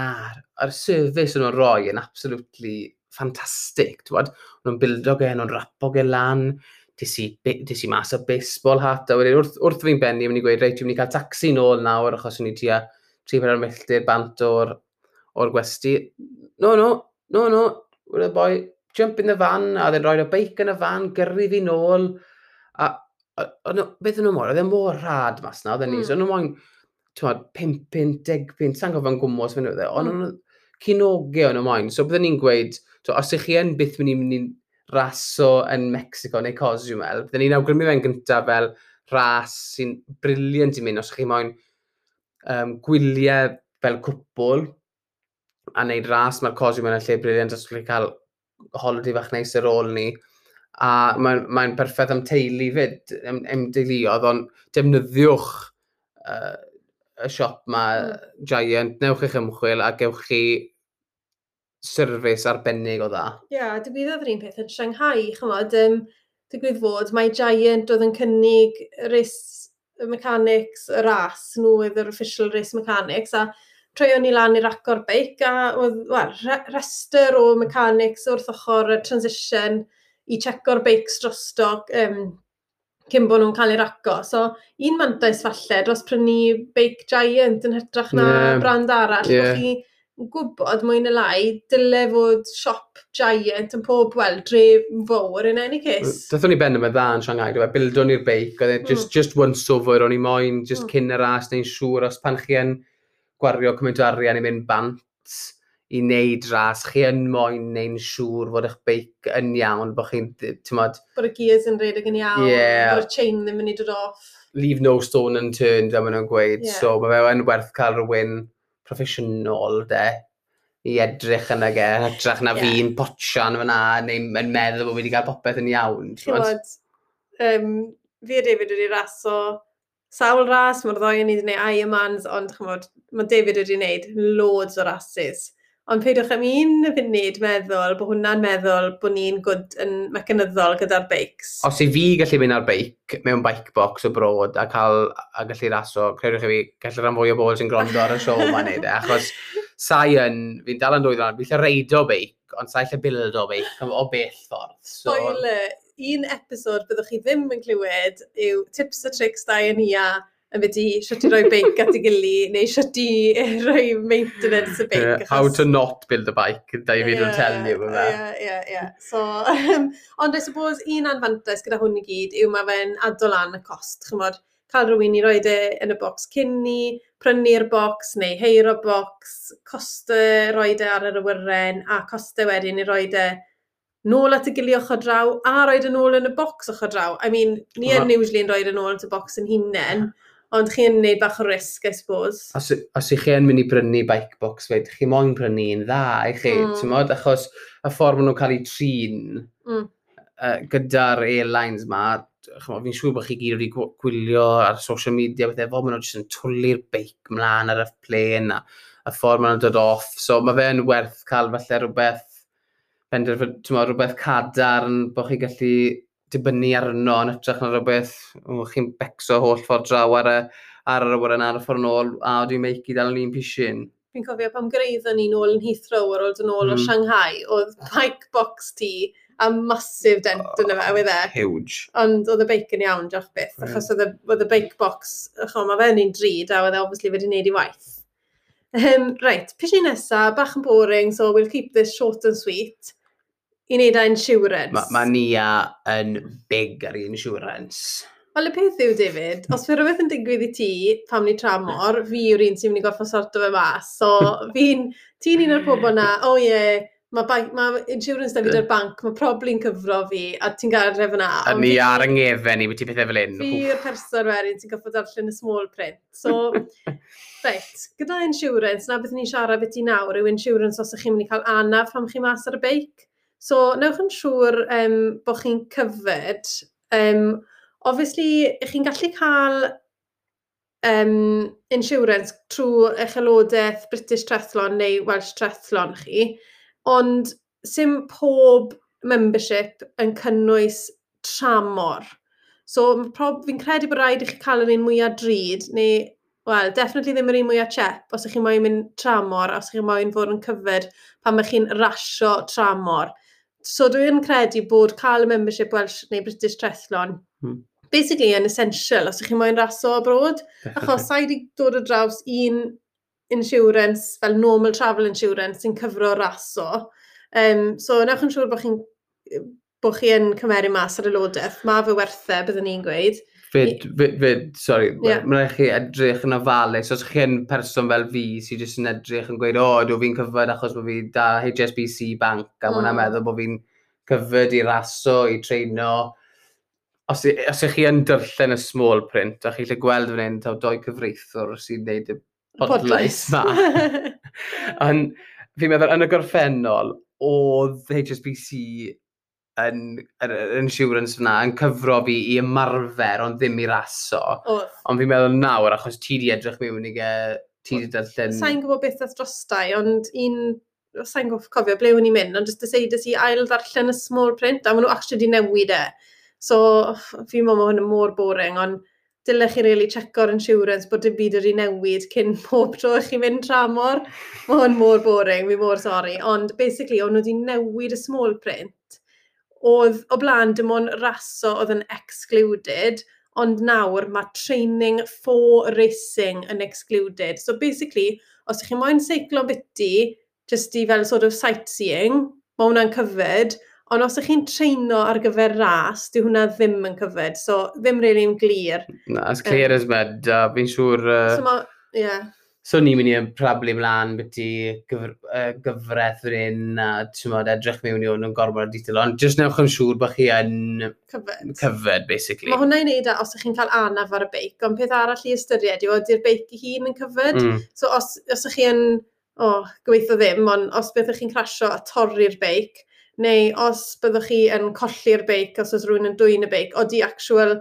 a'r service o'n nhw'n rhoi yn absolutely fantastic. T'wod, o'n nhw'n bildo ge, o'n nhw'n rapo ge lan, des i mas o baseball hat, a wedyn wrth fi'n benni, mynd i gweud, "Reit, dwi'n mynd i cael taxi nôl nawr," achos o'n i tua 3-4 milltir bant o'r gwesti. "No, no, no, no," the boy, "jump in the van," a oedd e'n rhoi y beic yn y van, gyrru fi nôl, a no, beth o'n nhw mor, oedd e mor rhad mas na, oedd e ni, so o'n nhw moyn, t'mod, 5 punt, 10 punt, sa'n gofyn gwmws fan oedd e, ond mm. Cinoge o'n nhw moyn, so byddwn ni'n gweud, to, os ych chi yn byth mynd i raso yn Mexico neu Cozumel, byddwn ni'n awgrymu fe'n gyntaf fel ras sy'n brilliant i mynd, os ych chi moyn gwyliau fel cwpl, a wneud ras, mae'r Cozumel yn lle brilliant os ych chi'n cael holiday fach neis ar ôl ni. A mae'n perffaith am teulu fyd, am deuluodd, ond defnyddiwch y siop ma, Giant, newch eich ymchwil a gewch chi service arbennig o dda. Ie, yeah, digwyddodd yr un peth yn Shanghai, chymod, digwydd fod, mae Giant oedd yn cynnig race mechanics, y ras, nhw oedd yr official race mechanics, a troion ni lan i'r racor beic, a oedd, wel, rester o mechanics wrth ochr y transition i checo'r beics drosto cyn bod nhw'n cael eu raco. So, un mantais falle dros prynu beic Giant yn hytrach na brand arall, bod chi gwybod mwy neu lai, dyle fod siop Giant yn pob, wel, dre fawr in any case. Dathon ni ben yma dda yn Shanghai, dwi'n bildon ni'r beic, oedd e just once over, o'n i moyn, just cyn y ras, neu'n siŵr, os pan chi yn gwario cymaint o arian i mynd bant i wneud ras, chi yn moyn neu'n siŵr fod eich beic yn iawn, bod chi'n, ti'n Bod y gears yn rhedeg yn iawn, bod y chain ddim yn mynd i dod off. Leave no stone unturned, fel maen nhw'n gweud. So mae fe yn werth cael rhywun proffesiynol, de, i edrych yn ag e, yn hytrach na fi'n potsian fyna, neu yn meddwl bod fi wedi cael popeth yn iawn. Ti'n gwbod, fi a David wedi raso sawl ras, mae'r ddoi yn ni wedi gwneud Ironmans, ond chymod, mae David wedi gwneud loads o rases. Ond peidiwch am un funud meddwl bod hwnna'n meddwl bod ni'n good yn mecanyddol gyda'r beics. Os i fi gallu mynd ar beic mewn bike box abroad a cael a gallu raso, credwch chi fi, gallu rhan fwy o bobl sy'n gwrando ar y siow ma'n neud e, achos sai yn, fi'n dal yn dwy ddod, fi'n lle reido beic, ond sai lle bildo beic o bell ffordd. So, Spoiler, un episod byddwch chi ddim yn clywed yw tips a tricks da yn ia Yn beth i sut i roi beic at ei gili, neu sut i roi maintenance y beic. Yeah, how to not build a bike, David will tell you. Ie. So, ond I suppose un anfantais gyda hwn i gyd yw mae fe'n ado lan y cost, chymod, cael rhywun i roi e yn y bocs cyn ni, prynu'r bocs neu heiro bocs, costau roi e ar yr awyren a costau wedyn i roi e nôl at y gili ochr draw a roi e nôl yn y bocs ochr draw. I mean, ni yn usually yn rhoi e nôl yn y bocs yn hunain, ond chi'n neud bach o risg, I suppose. Os ych chi yn mynd i brynu bike box fyd, chi moyn prynu un dda i chi, ti'n achos y ffordd maen nhw'n cael eu trin gyda'r airlines ma, fi'n siŵr bod chi gyd wedi gwylio ar social media, bethau fo, maen nhw jyst yn twlu'r beic mlaen ar y plane a y ffordd maen nhw'n dod off. So mae fe'n werth cael falle rhywbeth, rhywbeth cadarn bod chi gallu dibynnu arno yn hytrach na rhywbeth, chi'n becso holl ffordd draw ar yr awyren ar y ffordd nôl, a dwi'n meic i dal yn un pishin. Fi'n cofio pam gyrhaeddon ni nôl yn Heathrow ar ôl dod nôl o Shanghai, oedd bike box ti a massive dent yn y fe, oedd e. Huge. Ond oedd y beic yn iawn, diolch byth, achos oedd y bike box, ch'mo, mae fe'n un drud, a oedd e obviously wedi wneud i waith. Right, pishin nesa, bach yn boring, so we'll keep this short and sweet. I wneud â insurance. Mae ma Nia yn big ar insurance. Wel, y peth yw, David, os fe rhywbeth yn digwydd i ti pam ni tramor, fi yw'r un sy'n mynd i gorfod sorto fe mas. So, ti'n un o'r pobl na, oh ie, mae ma insurance da fi da'r banc, mae probably'n cyfro fi, a ti'n gael rhef yna. A ni ar yng ngefen i, beth i pethau fel un. Fi yw'r person wedyn sy'n gorfod darllen y small print. So, reit, gyda insurance, na beth ni'n siarad beth i nawr yw insurance os ych chi'n mynd i cael anaf pam chi mas ar y beic. So, newch yn siŵr bod chi'n covered. Obviously, ych chi'n gallu cael insurance trwy eich aelodaeth British Triathlon neu Welsh Triathlon chi, ond sim pob membership yn cynnwys tramor. So, fi'n credu bod rhaid i chi cael yr un mwyaf drud, neu, well, definitely ddim yr un mwyaf chep, os ych chi'n moyn mynd tramor, os ych chi'n moyn fod yn covered pan ych chi'n rasio tramor. So dwi'n credu bod cael y membership Welsh neu British Triathlon basically yn essential os ych chi'n moyn raso abroad. Achos sa'i wedi dod o draws un insurance, fel normal travel insurance, sy'n cyfro raso. So newch yn siŵr bod chi yn cymeru mas ar aelodaeth. Mae fe werth e, byddwn ni'n gweud. Fyd, sorry, mae'n rhaid chi edrych yn ofalus. Os chi yn person fel fi sy'n jyst yn edrych yn gweud, o, dwi fi'n covered achos bod fi da HSBC Bank, a mm. hwnna'n meddwl bod fi'n covered i raso, i treino. Os ych chi yn darllen y small print, a chi lle gweld fan hyn, taw doi cyfreithiwr sy'n neud y podlais ma. Ond fi'n meddwl, yn y gorffennol, oedd HSBC yn yr insurance fyna yn cyfro fi i ymarfer, ond ddim i raso. Oedd. Ond fi'n meddwl nawr, achos ti di edrych mewn i ge, ti di darllen. Sa'n gwybod beth ath drostai, ond un, sa'n cofio ble o'n i'n mynd, ond just decided i ail ddarllen y small print, a maen nhw actually di newid e. So, fi'n meddwl mae hwn yn mor boring, ond dylech chi really checko'r insurance bod dim byd wedi newid cyn pob tro i chi'n mynd tramor. Mae hwn mor boring, fi mor sorry. Ond basically, o'n nhw wedi newid y small print. Oedd o blaen dim ond raso oedd yn excluded, ond nawr mae training for racing yn excluded. So basically, os ych chi moyn seiclo biti, just i fel sort of sightseeing, mae hwnna'n covered, ond os ych chi'n treino ar gyfer ras, dyw hwnna ddim yn covered, so ddim really yn glir. Na, as clear as mud, a fi'n siŵr. So ma, yeah. So ni'n mynd i probably mlaen byti gyfraith fan hyn, a ti'n modd, edrych mewn i hwn yn gormod o detail, ond just newch yn siŵr bod chi yn covered. Covered, basically. Mae hwnna i wneud â os ych chi'n cael anaf ar y beic, ond peth arall i ystyried yw ydy'r beic ei hun yn covered. So os ych chi yn, oh, gobeithio ddim, ond os byddwch chi'n crasio a torri'r beic, neu os byddwch chi yn colli'r beic, os oes rhywun yn dwyn y beic, odi actual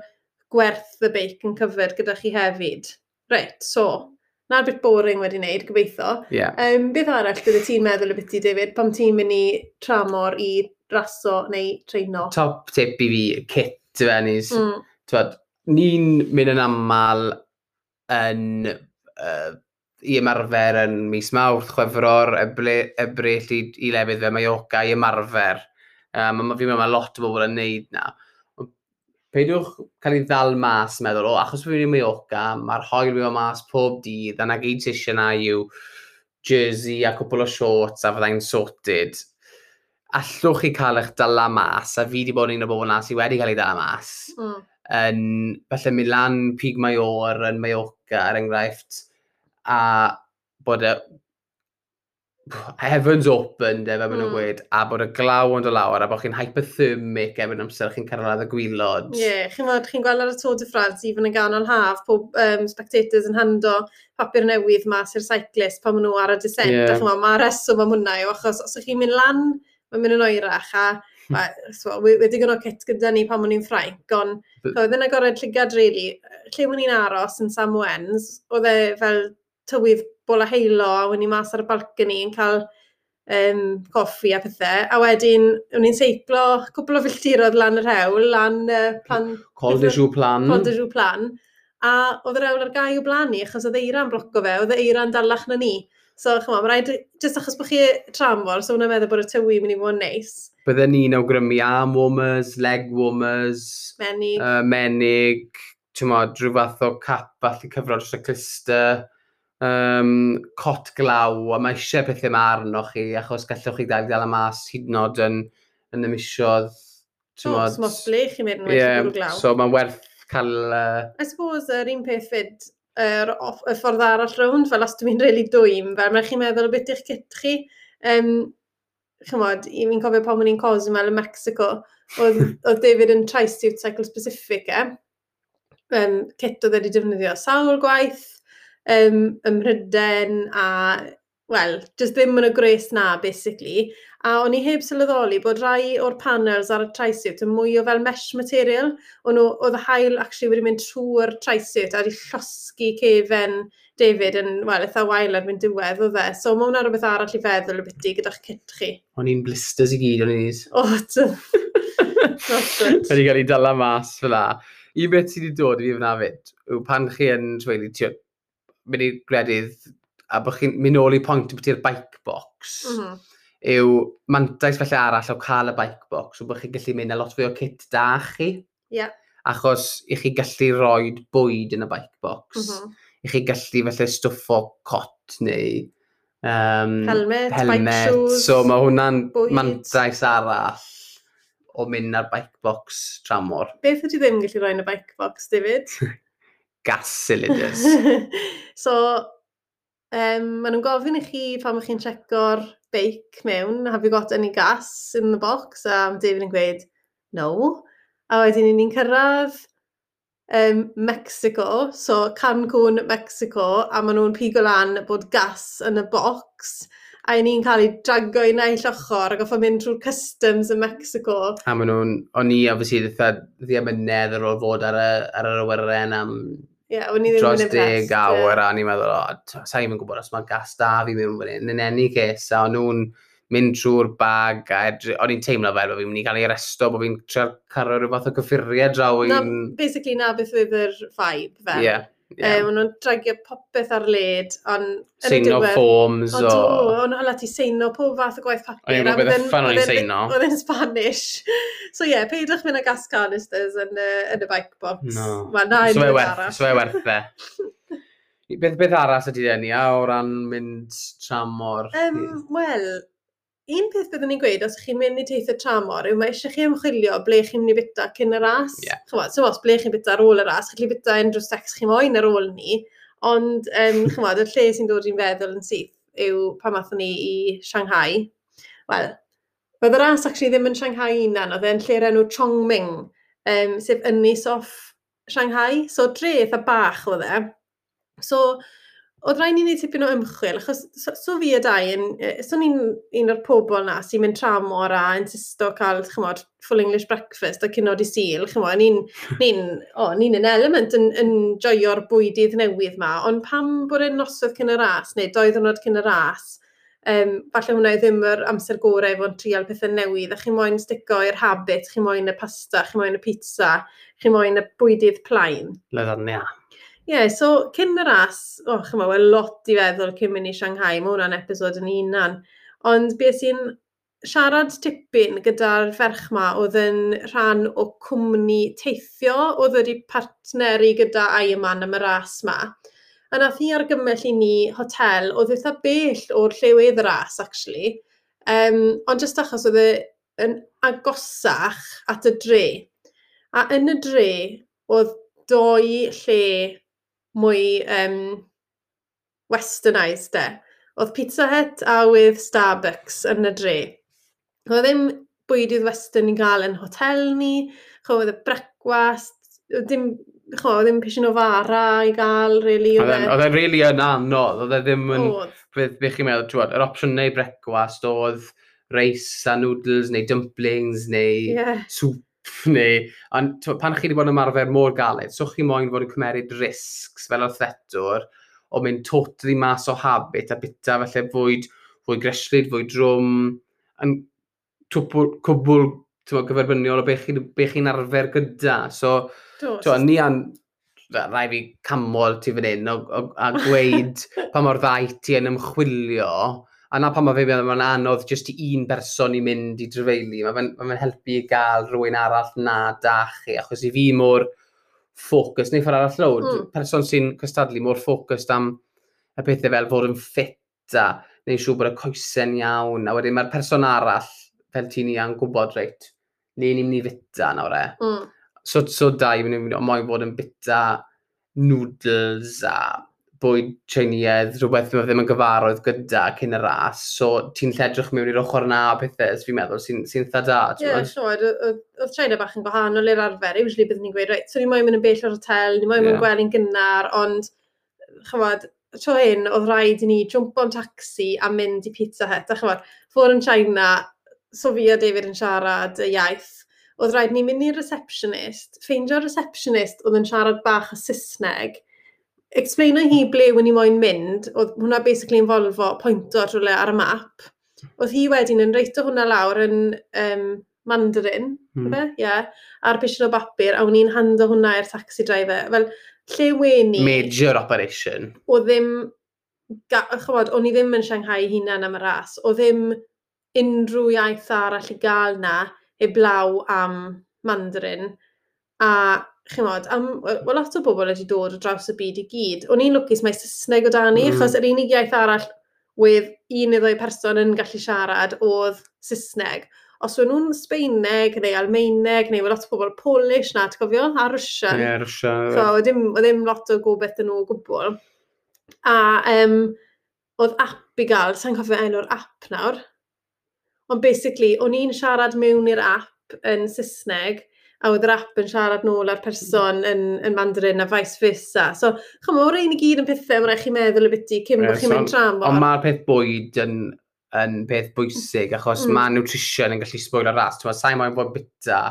gwerth y beic yn covered gyda chi hefyd. Reit, so, na'r bit boring wedi wneud, gobeithio. Beth arall bydde ti'n meddwl y biti, David, pam ti'n mynd i tramor i raso neu treino? Top tip i fi, kit, Nis. T'wod, ni'n mynd yn aml yn, i ymarfer yn mis Mawrth, Chwefror, Ebrill i lefydd fel Mallorca i ymarfer. Fi'n meddwl mae lot o bobl yn neud na. Peidiwch cael ei ddal mas, meddwl, o, achos fi'n mynd i Mallorca, mae'r haul mynd mas pob dydd, a na gyd sy'n eisiau na yw jersey a cwpl o shorts a fyddai'n sorted. Allwch chi cael eich dala mas, a fi wedi bod yn un o bobl na sydd wedi cael ei dala mas. Yn, falle mynd lan Pig Mayor yn Mallorca, er enghraifft, a bod y heavens open, de, fel maen nhw'n gweud, a bod y glaw yn dod lawr, a bod chi'n hypothermic erbyn amser chi'n cyrraedd y gwaelod. Ie, yeah, chi'n gweld, chi'n gweld ar y Tour de France, even yn ganol haf, pob spectators yn hando papur newydd mas i'r cyclist pan maen nhw ar y descent. A chi'n gweld, mae reswm am hwnna yw, achos os ydych chi'n mynd lan, mae'n mynd yn oerach, a so, wedi digon o kit gyda ni pan o'n i'n Ffrainc, ond oedd e'n agored llygad, really. Lle o'n i'n aros yn Samoens, oedd e fel tywydd bola heilo, a o'n i mas ar y balcony yn cael coffi a pethau. A wedyn, o'n i'n seiclo cwpl o filltiroedd lan yr hewl, lan plan, Col de Joux Plan. Col de Joux Plan. A oedd yr hewl ar gau o blaen ni, achos oedd eira'n bloco fe, oedd eira'n dalach na ni. So, ch'mo, mae rhaid, jyst achos bod chi tramor, so hwnna'n meddwl bod y tywydd mynd i fod yn neis. Bydden ni'n awgrymu arm warmers, leg warmers, Menig. Menig, ti'n modd, rhyw fath o cap falle cyfro dros y cluster, cot glaw, a mae eisiau pethau yma arnoch chi, achos gallwch chi gael dal y mas hyd yn oed yn y misoedd. Ti'n O, modd, smos ble chi'n mynd yn well bwrw glaw. So mae'n werth cael. I suppose yr un peth fyd, y ffordd arall rownd, fel os dwi'n really dwym, fel mae'n chi'n meddwl o beth i'ch kit chi. Ch'mod, i fi'n cofio pan o'n i'n Cozumel yn Mexico, oedd David yn tri-suit cycle specific e. Kit oedd wedi defnyddio sawl gwaith ym Mhryden a, wel, just ddim yn y gwres na, basically. A o'n i heb sylweddoli bod rai o'r panels ar y tri-suit yn mwy o fel mesh material. O'n nhw, oedd y haul actually wedi mynd trwy'r tri-suit a wedi llosgi cefen David yn, wel, eitha wael erbyn diwedd, oedd e. So mae hwnna rhywbeth arall i feddwl y byti gyda'ch kit chi. O'n i'n blisters i gyd, o'n i'n O, not good. Wedi cael ei dala mas fel la. Un beth sydd wedi dod i fi fyna fyd, yw pan chi yn tweulu, tio, mynd i gwledydd, a bod chi'n mynd nôl i pwynt beth i'r bike box, yw mantais felly arall o cael y bike box, yw bod chi'n gallu mynd â lot fwy o kit da chi. Achos i chi gallu rhoi bwyd yn y bike box. I chi gallu felly stwffo cot neu helmet, bike shoes, So mae hwnna'n bwyd. mantais arall o mynd ar bike box tramor. Beth ydy ddim gallu rhoi yn y bike box, David? Gas cylinders. So, maen nhw'n gofyn i chi pan ych chi'n checo'r beic mewn, "Have you got any gas in the box?" A mae David yn gweud, "No." A wedyn ni'n cyrraedd Mexico, so Cancun, Mexico, a maen nhw'n pigo lan bod gas yn y box, a ni'n cael ei drago i naill ochr a goffo mynd trwy'r customs yn Mexico. A maen nhw'n, o'n i obviously eitha ddiamynedd ar ôl fod ar yr awyren am Ie, yeah, o'n i ddim dros yn impressed. 10 awr a o'n i'n meddwl, o, sa i'n gwybod os mae gas da fi mewn fan hyn. In any case, a o'n nhw'n mynd trwy'r bag a o'n i'n teimlo fel bod fi'n mynd i gael ei arresto, bod fi'n trio cario rhyw fath o gyffuriau draw Na, i'n basically na beth oedd yr vibe fel. Ie. Maen nhw'n dragio popeth ar led, ond yn y Seino diwedd forms Ond o do, o'n hala ti seino pob fath o gwaith papur. O'n i'n a gwybod oedd beth uffern o'n i'n seino. Oedd e'n Spanish. So ie, yeah, peidwch mynd â gas canisters yn y bike box. No. Wel, na, So fe unrhyw werth, arall. so fe werth e. Beth arall ydy deni a o ran mynd tramor? Wel, un peth byddwn ni'n gweud os chi'n mynd i teithio tramor yw mae eisiau chi ymchwilio ble chi'n mynd i bita cyn y ras. Ch'mod, so os ble chi'n bita ar ôl y ras, chi'n gallu bita unrhyw stecs chi moyn ar ôl ni, ond ch'mod, y lle sy'n dod i'n feddwl yn syth yw pan athon ni i Shanghai. Wel, oedd y ras actually ddim yn Shanghai hunan, oedd e'n lle'r enw Chongming, sef ynys off Shanghai. So dre eitha bach oedd e. So, oedd rhaid ni wneud tipyn o ymchwil, achos so fi a Dai, so ni'n un o'r pobol na sy'n mynd tramor a insisto cael, ch'mod, full English breakfast a cinio dydd Sul, ch'mod, ni'n yn element yn joio'r bwydydd newydd ma, ond pam bod e'n noswaith cyn y ras, neu 2 ddiwrnod cyn y ras, falle hwnna ddim yr amser gorau i fod yn trial pethau newydd, a chi moyn stico i'r habit, chi moyn y pasta, chi moyn y pizza, chi moyn y bwydydd plaen. Lasagna. Ie, yeah, so cyn y ras, o, oh, chymod, wel lot i feddwl cyn mynd i Shanghai, mae hwnna'n episod yn hunan. Ond beth sy'n siarad tipyn gyda'r ferch ma oedd yn rhan o cwmni teithio, oedd wedi partneri gyda Ironman am y ras ma. A nath hi argymell i ni hotel, oedd eitha bell o'r lle wedd y ras, actually. Ond jyst achos oedd e yn agosach at y dre. A yn y dre, oedd doi lle mwy westernised de. Oedd Pizza Hut a with Starbucks yn y dre. Oedd ddim bwydydd western i gael yn hotel ni, ch'mo, oedd y brecwast, oedd dim, ch'mo, oedd ddim pishin o fara i gael, really. Oedd e'n really yn anodd, oedd e ddim yn. Oedd. Beth chi'n meddwl, ti'n gwbod, yr opsiwn neu brecwast oedd reis a noodles neu dumplings neu soup neu. Ond t'mod, pan chi wedi bod yn ymarfer mor galed, so chi moyn fod yn cymeryd risks fel athletwr o mynd totally mas o habit a bita falle fwyd fwy greslyd, fwy drwm, yn cwbl, t'mod, gyferbyniol o be chi'n arfer gyda. So, t'mod, ni an, rai fi camol ti fan hyn a gweud pa mor dda i ti yn ymchwilio, a na pan mae fe mae'n anodd jyst i un person i mynd i drafeili. Mae fe'n ma fe helpu i gael rhywun arall na da chi, achos i fi mor ffocus, neu ffordd arall lawd, person sy'n cystadlu mor focused am y pethau fel fod yn ffit a neu'n siŵr bod y coesau'n iawn, a wedyn mae'r person arall, fel ti ni yn gwybod, reit, le ni'n mynd i fita nawr e. So da i mynd moyn fod yn bita noodles a bwyd Chinese, rhywbeth mae ddim yn gyfarwydd gyda cyn y ras, so ti'n lledrych mewn i'r ochr na o pethau, so fi'n meddwl, sy eitha da. Ie, yeah, sure. Oedd China bach yn gwahanol i'r arfer. Usually byddwn ni'n gweud, reit, so ni moyn mynd yn bell o'r hotel, ni moyn mynd gwely'n gynnar, ond, chymod, tro hyn, oedd rhaid i ni jumpo'n taxi a mynd i Pizza Hut. A chymod, fod yn China, so fi a David yn siarad y iaith, oedd rhaid ni mynd i'r receptionist, ffeindio'r receptionist oedd yn siarad bach o Saesneg, explaino hi ble o'n i moyn mynd, oedd hwnna basically yn Volvo pointo at rhywle ar y map. Oedd hi wedyn yn writeio hwnna lawr yn Mandarin, mm. Yeah, ar pishin o bapur, a o'n i'n hando hwnna i'r taxi driver. Fel, lle wen ni. Major operation. Oedd ddim, chymod, o'n i ddim yn Shanghai hunan am y ras. Oedd ddim unrhyw iaith arall i gael na, heblaw am Mandarin. A chymod, am, wel, lot o bobl wedi dod o draws y byd i gyd. O'n i'n lwcus mae Saesneg o dan ni, achos yr unig iaith arall wedd un neu ddwy person yn gallu siarad oedd Saesneg. Os o'n nhw'n Sbeineg neu Almaeneg neu lot o bobl Polish na, ti'n cofio? A Russian. Ie, yeah, Russian. So, oedd ddim lot o gobeith yn nhw o gwbl. A oedd app i gael, sa'n cofio enw'r app nawr. Ond basically, o'n i'n siarad mewn i'r app yn Saesneg, a oedd yr app yn siarad nôl â'r person yn Mandarin a vice versa. So, chymod, o'r ein i gyd yn pethau mae'n rhaid chi meddwl y biti cyn bod chi'n mynd tramor. Ond mae'r peth bwyd yn peth bwysig, achos mae nutrition yn gallu sbwylo ras. Ti'n sa'i moyn bod bita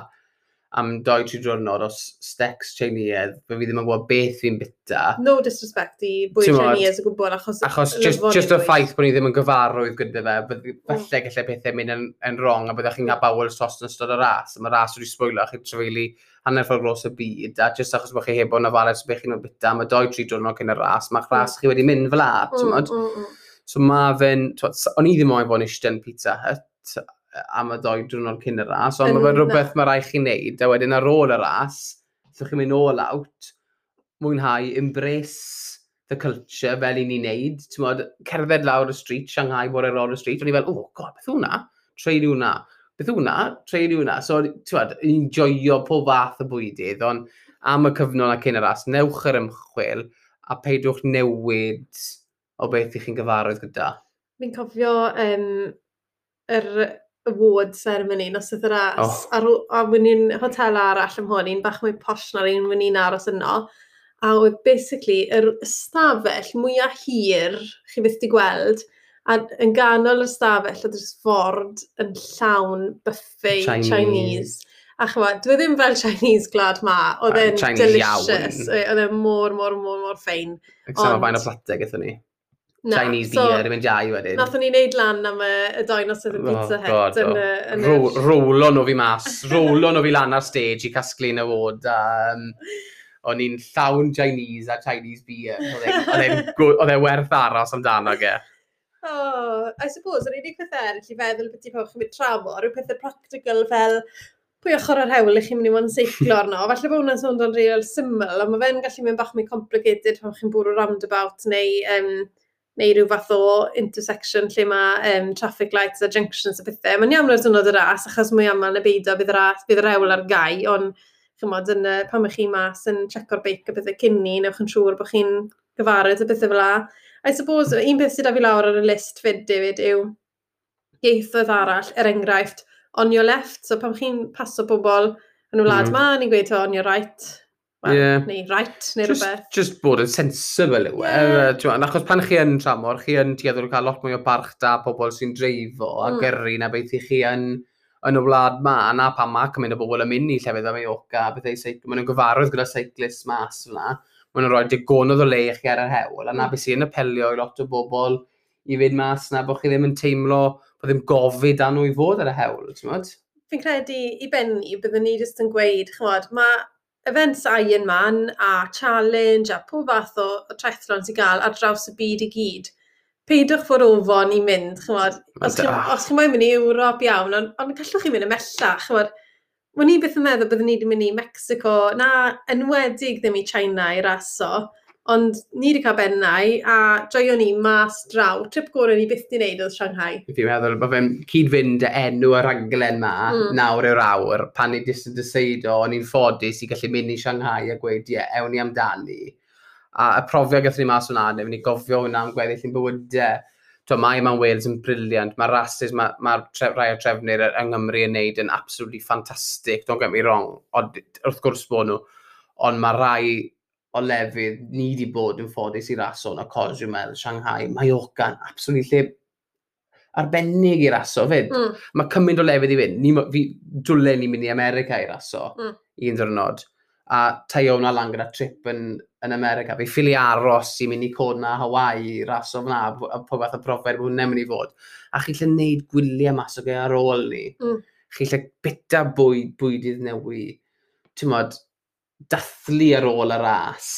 am 2-3 diwrnod o stecs Chinese, fe fi ddim yn gwybod beth fi'n bita. No disrespect i bwyd Chinese o gwbl, achos. Achos just y ffaith bod ni ddim yn gyfarwydd gyda fe, falle gallai pethau mynd yn wrong a byddech chi'n cael bowel tost yn ystod y ras. Mae ras wedi sbwylo, chi'n trafeili hanner ffordd dros y byd, a just achos bod chi heb bod yn ofalus beth chi'n bita, mae 2-3 diwrnod cyn y ras, mae'ch ras chi wedi mynd fel la, ti'n So mae fe'n, o'n i ddim moyn bod yn eistedd yn Pizza Hut am y 2 diwrnod cyn y ras, ond mae fe'n rhywbeth mae rhaid chi wneud, a wedyn ar ôl y ras, allwch chi'n mynd all out, mwynhau, embrace the culture fel i ni'n neud, ti'n modd, cerdded lawr y street, Shanghai, bod ar ôl y street, o'n i fel, "Oh God, beth hwnna? Treuli hwnna. Beth hwnna? Treuli hwnna." So, ti'n modd, enjoyo pob fath o bwydydd, ond am y cyfnod na cyn y ras, newch yr ymchwil a peidwch newid o beth i chi'n gyfarwydd gyda. Fi'n cofio yr award ceremony noswaith y ras. Oh. A wyn ni'n hotel arall am hwn, un bach mwy posh na'r un wyn ni'n aros yno. A oedd basically yr ystafell mwyaf hir chi byth di gweld, a yn ganol yr ystafell oedd yr ford yn llawn buffet Chinese. Chinese. A chymod, dwi ddim fel Chinese gwlad ma, oedd e'n delicious. Oedd e'n mor, mor, mor, mor ffein. Exam o fain o platau gyda ni. Na, Chinese so, beer, mynd iau wedyn. Nathon ni wneud lan am y doi noson yn Pizza Hut. God, yn, yn Rowlo nhw fi mas, rowlo nhw fi lan ar stage i casglu'n award. A, o'n i'n llawn Chinese a Chinese beer. Oedd e'n werth aros amdano ge. Oh, I suppose, yr unig peth eraill i feddwl beth i pawb chi'n mynd tramor yw pethau practical fel pwy ochr yr hewl i chi'n mynd i fod yn seiclo arno. Falle bod hwnna'n swndo'n real syml, ond mae fe'n gallu mynd bach mwy complicated pan chi'n bwrw roundabout neu rhyw fath o intersection lle mae traffic lights a junctions a pethau. Mae'n iawn ar diwrnod y ras, achos mwy aml na beidio bydd y ras, bydd yr hewl ar gau, ond chymod, pan ych chi mas yn checo'r beic a pethau cyn ni, newch yn siŵr bod chi'n gyfarwydd a pethau fel 'a. I suppose, un peth sydd â fi lawr ar y list fyd, David, yw ieithoedd arall, er enghraifft, on your left. So pan chi'n paso bobl yn y wlad ma, ni'n gweud on your right, well, neu right, neu rhywbeth. Just bod yn sensible yw e. Yeah. Achos pan chi yn tramor, chi yn tueddol cael lot mwy o barch da pobl sy'n dreifo a gyrru na beth i chi yn y wlad ma. A na pam mae cymaint o bobl yn mynd i llefydd fel Mallorca, bethau seiclo. Maen nhw'n gyfarwydd gyda cyclists mas fyna. Maen nhw'n rhoi digonedd o le i chi ar yr hewl. A na beth sy'n apelio i lot o bobl i fynd mas na, bod chi ddim yn teimlo bod ddim gofid â nhw i fod ar y hewl, ti'n modd? Fi'n credu i benni, byddwn ni jyst yn gweud, ch'mod, mae events Ironman a challenge a pob fath o triathlon sy'n gael ar draws y byd i gyd. Peidiwch fod ofon i mynd, ch'mod, os chi moyn mynd i Ewrop iawn, ond gallwch chi mynd ymhellach, ch'mod. O'n i byth yn meddwl byddwn ni wedi mynd i Mexico, na enwedig ddim i China i raso, ond ni wedi cael bennau a joio ni mas draw. Trip gorau ni byth wedi wneud oedd Shanghai. Fi'n meddwl bod fe'n cyd-fynd y enw y rhaglen ma, nawr yw'r awr, pan ni jyst yn deceido, o'n i'n ffodus i gallu mynd i Shanghai a gweud, ie, ewn ni amdani. A y profiad gathon ni mas hwnna, neu ni gofio hwnna am gweddill ein bywydau. To, mae Ironman Wales yn brilliant, mae'r rases, mae rai o trefnwyr yng Nghymru yn neud yn absolutely fantastic, don't get me wrong, ond wrth gwrs bod nhw, ond mae rai o lefydd ni wedi bod yn ffodus i raso yn y Cozumel, Shanghai, Mallorca, absolutely lle arbennig i raso fyd. Mae cymaint o lefydd i fynd. Fi dwlen ni mynd i America i raso un diwrnod. A taio hwnna lan gyda trip yn America. Fi ffili aros i mynd i Kona, Hawaii, raso fyna, a pob fath o profiad bod hwnna'n mynd i fod. A chi'n lle wneud gwyliau mas o ge ar ôl ni. Chi'n lle bita bwydydd newi. Ti'n modd, dathlu ar ôl y ras.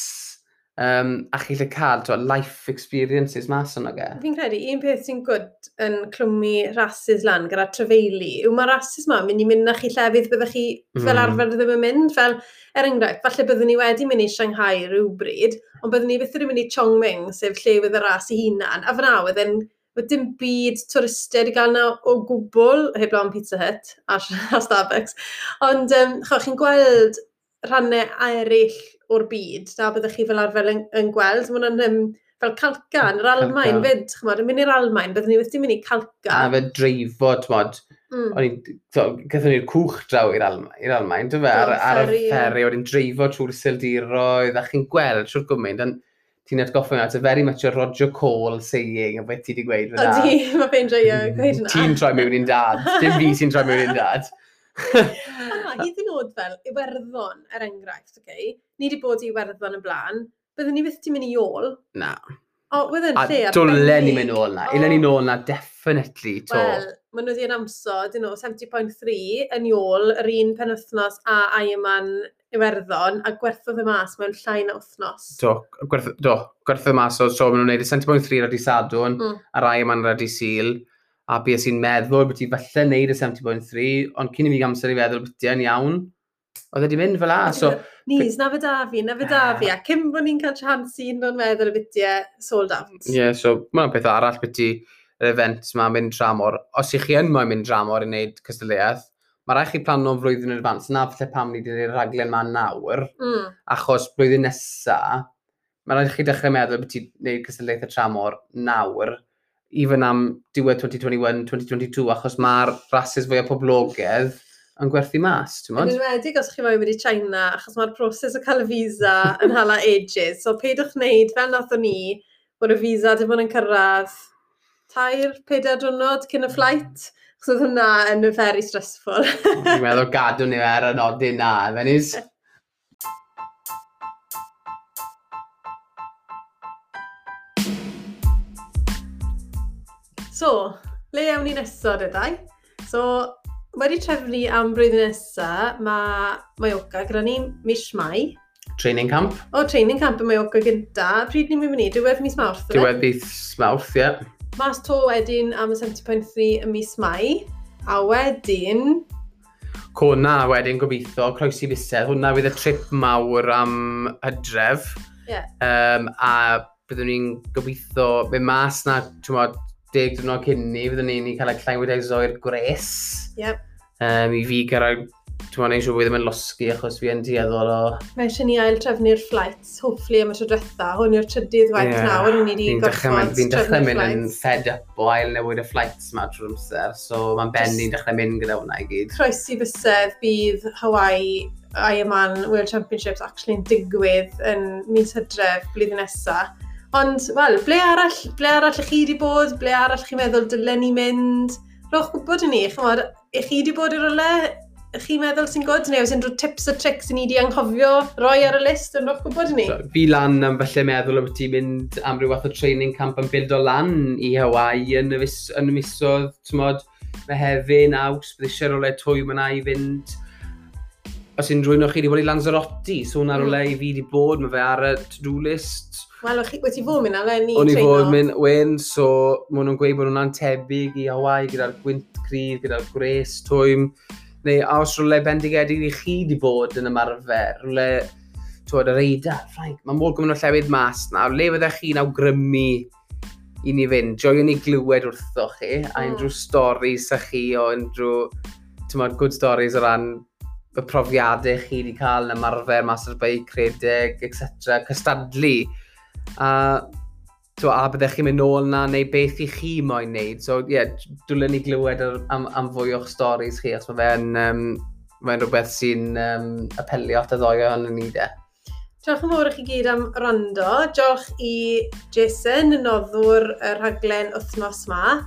A chi'n lle cael t'mo, life experiences mas yno ge. Fi'n credu, un peth sy'n good yn clwmu rases lan gyda trafeili yw mae rases ma mynd i mynd â chi llefydd byddech chi fel arfer ddim yn mynd. Fel, er enghraifft, falle byddwn ni wedi mynd i Shanghai rhywbryd, ond byddwn ni byth wedi mynd i Chongming, sef lle oedd y ras ei hunan. A fyna oedd yn, oedd dim byd twristiaid i gael yna o gwbl, heblaw am Pizza Hut a Starbucks. Ond chi'n gweld rhannau eraill o'r byd, na byddech chi fel arfer yn gweld. Mae hwnna'n fel Calca yn yr Almaen Calca. fyd, ch'mod, yn mynd i'r Almaen, byddwn ni wedi mynd i Calca. A fe dreifo, t'mod, gathon ni'r cwch draw i'r Almaen, do fe, Do, ar y ferry, ie. ferry, wedyn dreifo trwy'r Iseldiroedd, a chi'n gweld trwy'r gymaint, ond ti'n atgoffa mi, it's a very much a Roger Cole saying, o beth ti wedi gweud fyna. Ydy, mae fe'n joio gweud hwnna. Ti'n troi mewn i'n dad, dim fi sy'n troi mewn i'n dad. Ond na, hyd yn oed fel Iwerddon, er enghraifft, okay? Ni wedi bod i Iwerddon yn blaen, byddwn ni byth wedi mynd i ôl. Na. O, wedd yn A lle dwlen ni arbennig. mynd nôl na. Ilen ni nôl na, definitely, to. Wel, maen nhw wedi announso, dyn nhw, 70.3 yn ôl yr un penwythnos a Ironman Iwerddon, a gwerthodd y mas mewn llai na wythnos. Do, gwerthodd y mas, so maen nhw'n gwneud y 70.3 ar dydd Sadwrn, a'r Ironman ar dydd Sul, a bues i'n meddwl bod ti falle wneud y 70.3, ond cyn i fi amser i feddwl bod ti yn iawn, oedd e wedi mynd fel 'a. So, Nis, na fe da fi, na fe da fi, a cyn bod ni'n cael chance i un o'n meddwl y bitiau sold out. Ie, yeah, so mae'n peth arall beth i yr events ma mynd dramor. Os ych chi yn moyn mynd dramor i wneud cystadleuaeth, mae rhaid chi plano flwyddyn yn advance. Na falle pam ni wedi gwneud y rhaglen ma nawr, achos blwyddyn nesa, mae rhaid chi dechrau meddwl beth i wneud cystadleuaeth y tramor nawr, even am diwedd 2021, 2022, achos mae'r rases fwyaf poblogaidd yn gwerthu mas, ti'n Yn modd? enwedig os chi moyn mynd i China, achos mae'r proses o cael y visa yn hala ages. So peidwch wneud, fel nathon ni, bod y visa dim ond yn cyrraedd 3-4 diwrnod cyn y flight. Achos oedd hwnna yn very stressful. Fi'n meddwl gadw ni ar y nodyn na, Fenis. So, le awn ni nesa, dydau? So, wedi trefnu am blwyddyn nesa, mae Mallorca gyda ni mis Mai. Training camp. O, training camp yn Mallorca gynta. Pryd ni'n mynd i? Diwedd mis Mawrth, yfe? Diwedd mis Mawrth, ie. Mas to wedyn am y 70.3 ym mis Mai. A wedyn... Kona wedyn gobeithio, croesi bysedd. Hwna fydd y trip mawr am hydref. A byddwn ni'n gobeithio mynd mas na, ti'n 10 diwrnod cyn ni, byddwn ni'n cael acclimatise i'r gwres. I fi gyrraedd, ti'n neud siŵr bod fi ddim yn losgi achos fi yn tueddol o. Mae eisiau ni ail trefnu'r flights, hopefully am y tro diwetha. Hwn yw'r trydydd waith nawr, ni wedi gorfod. Fi'n dechrau mynd yn fed up o ail newid y flights ma trwy'r amser, so mae'n ben ni'n dechrau mynd gyda hwnna i gyd. Croesi bysedd bydd Hawaii Ironman World Championships actually'n digwydd yn mis Hydref blwyddyn nesaf. Ond, wel, ble arall ych chi wedi bod? Ble arall chi'n meddwl dylen ni mynd? Rhowch gwybod i ni, chymod, ych chi wedi bod i rywle ych chi'n meddwl sy'n good, neu oes unrhyw tips a tricks i ni wedi anghofio roi ar y list, yn rhowch gwybod i ni. So, fi lan am falle meddwl am ti mynd am ryw fath o training camp yn build o lan i Hawaii yn y misoedd, t'mod, Mehefin, Awst, bydd eisiau rhywle twym yna i fynd. Os unrhyw un o chi wedi bod i Lanzarote, so hwnna rhywle i fi wedi bod, mae fe ar y to-do list. Wel, wedi fod mynd eleni. O'n i fod mynd, wen, so maen nhw'n gweud bod hwnna'n tebyg i Hawaii gyda'r gwynt cryf, gyda'r gwres twym. Neu a os rhywle bendigedig i chi wedi bod yn ymarfer, rhywle, twyd, yr Eidal, Ffrainc, mae mor gymaint o llefydd mas na, le fyddech chi'n awgrymu i ni fynd? Joio ni glywed wrthoch chi, a unrhyw stories sa chi o unrhyw, ti'n good stories o ran y profiadau chi wedi cael yn ymarfer mas ar beic, rhedeg, etc., cystadlu. A, to, a byddech chi'n mynd nôl na, neu beth i chi moyn wneud. So, ie, yeah, dwlen ni glywed am fwy o'ch stories chi, os mae fe'n mae rhywbeth sy'n apelio at y ddoi ohonon ni de. Diolch yn fawr i chi gyd am wrando. Diolch i Jason, y noddwr y rhaglen wythnos ma.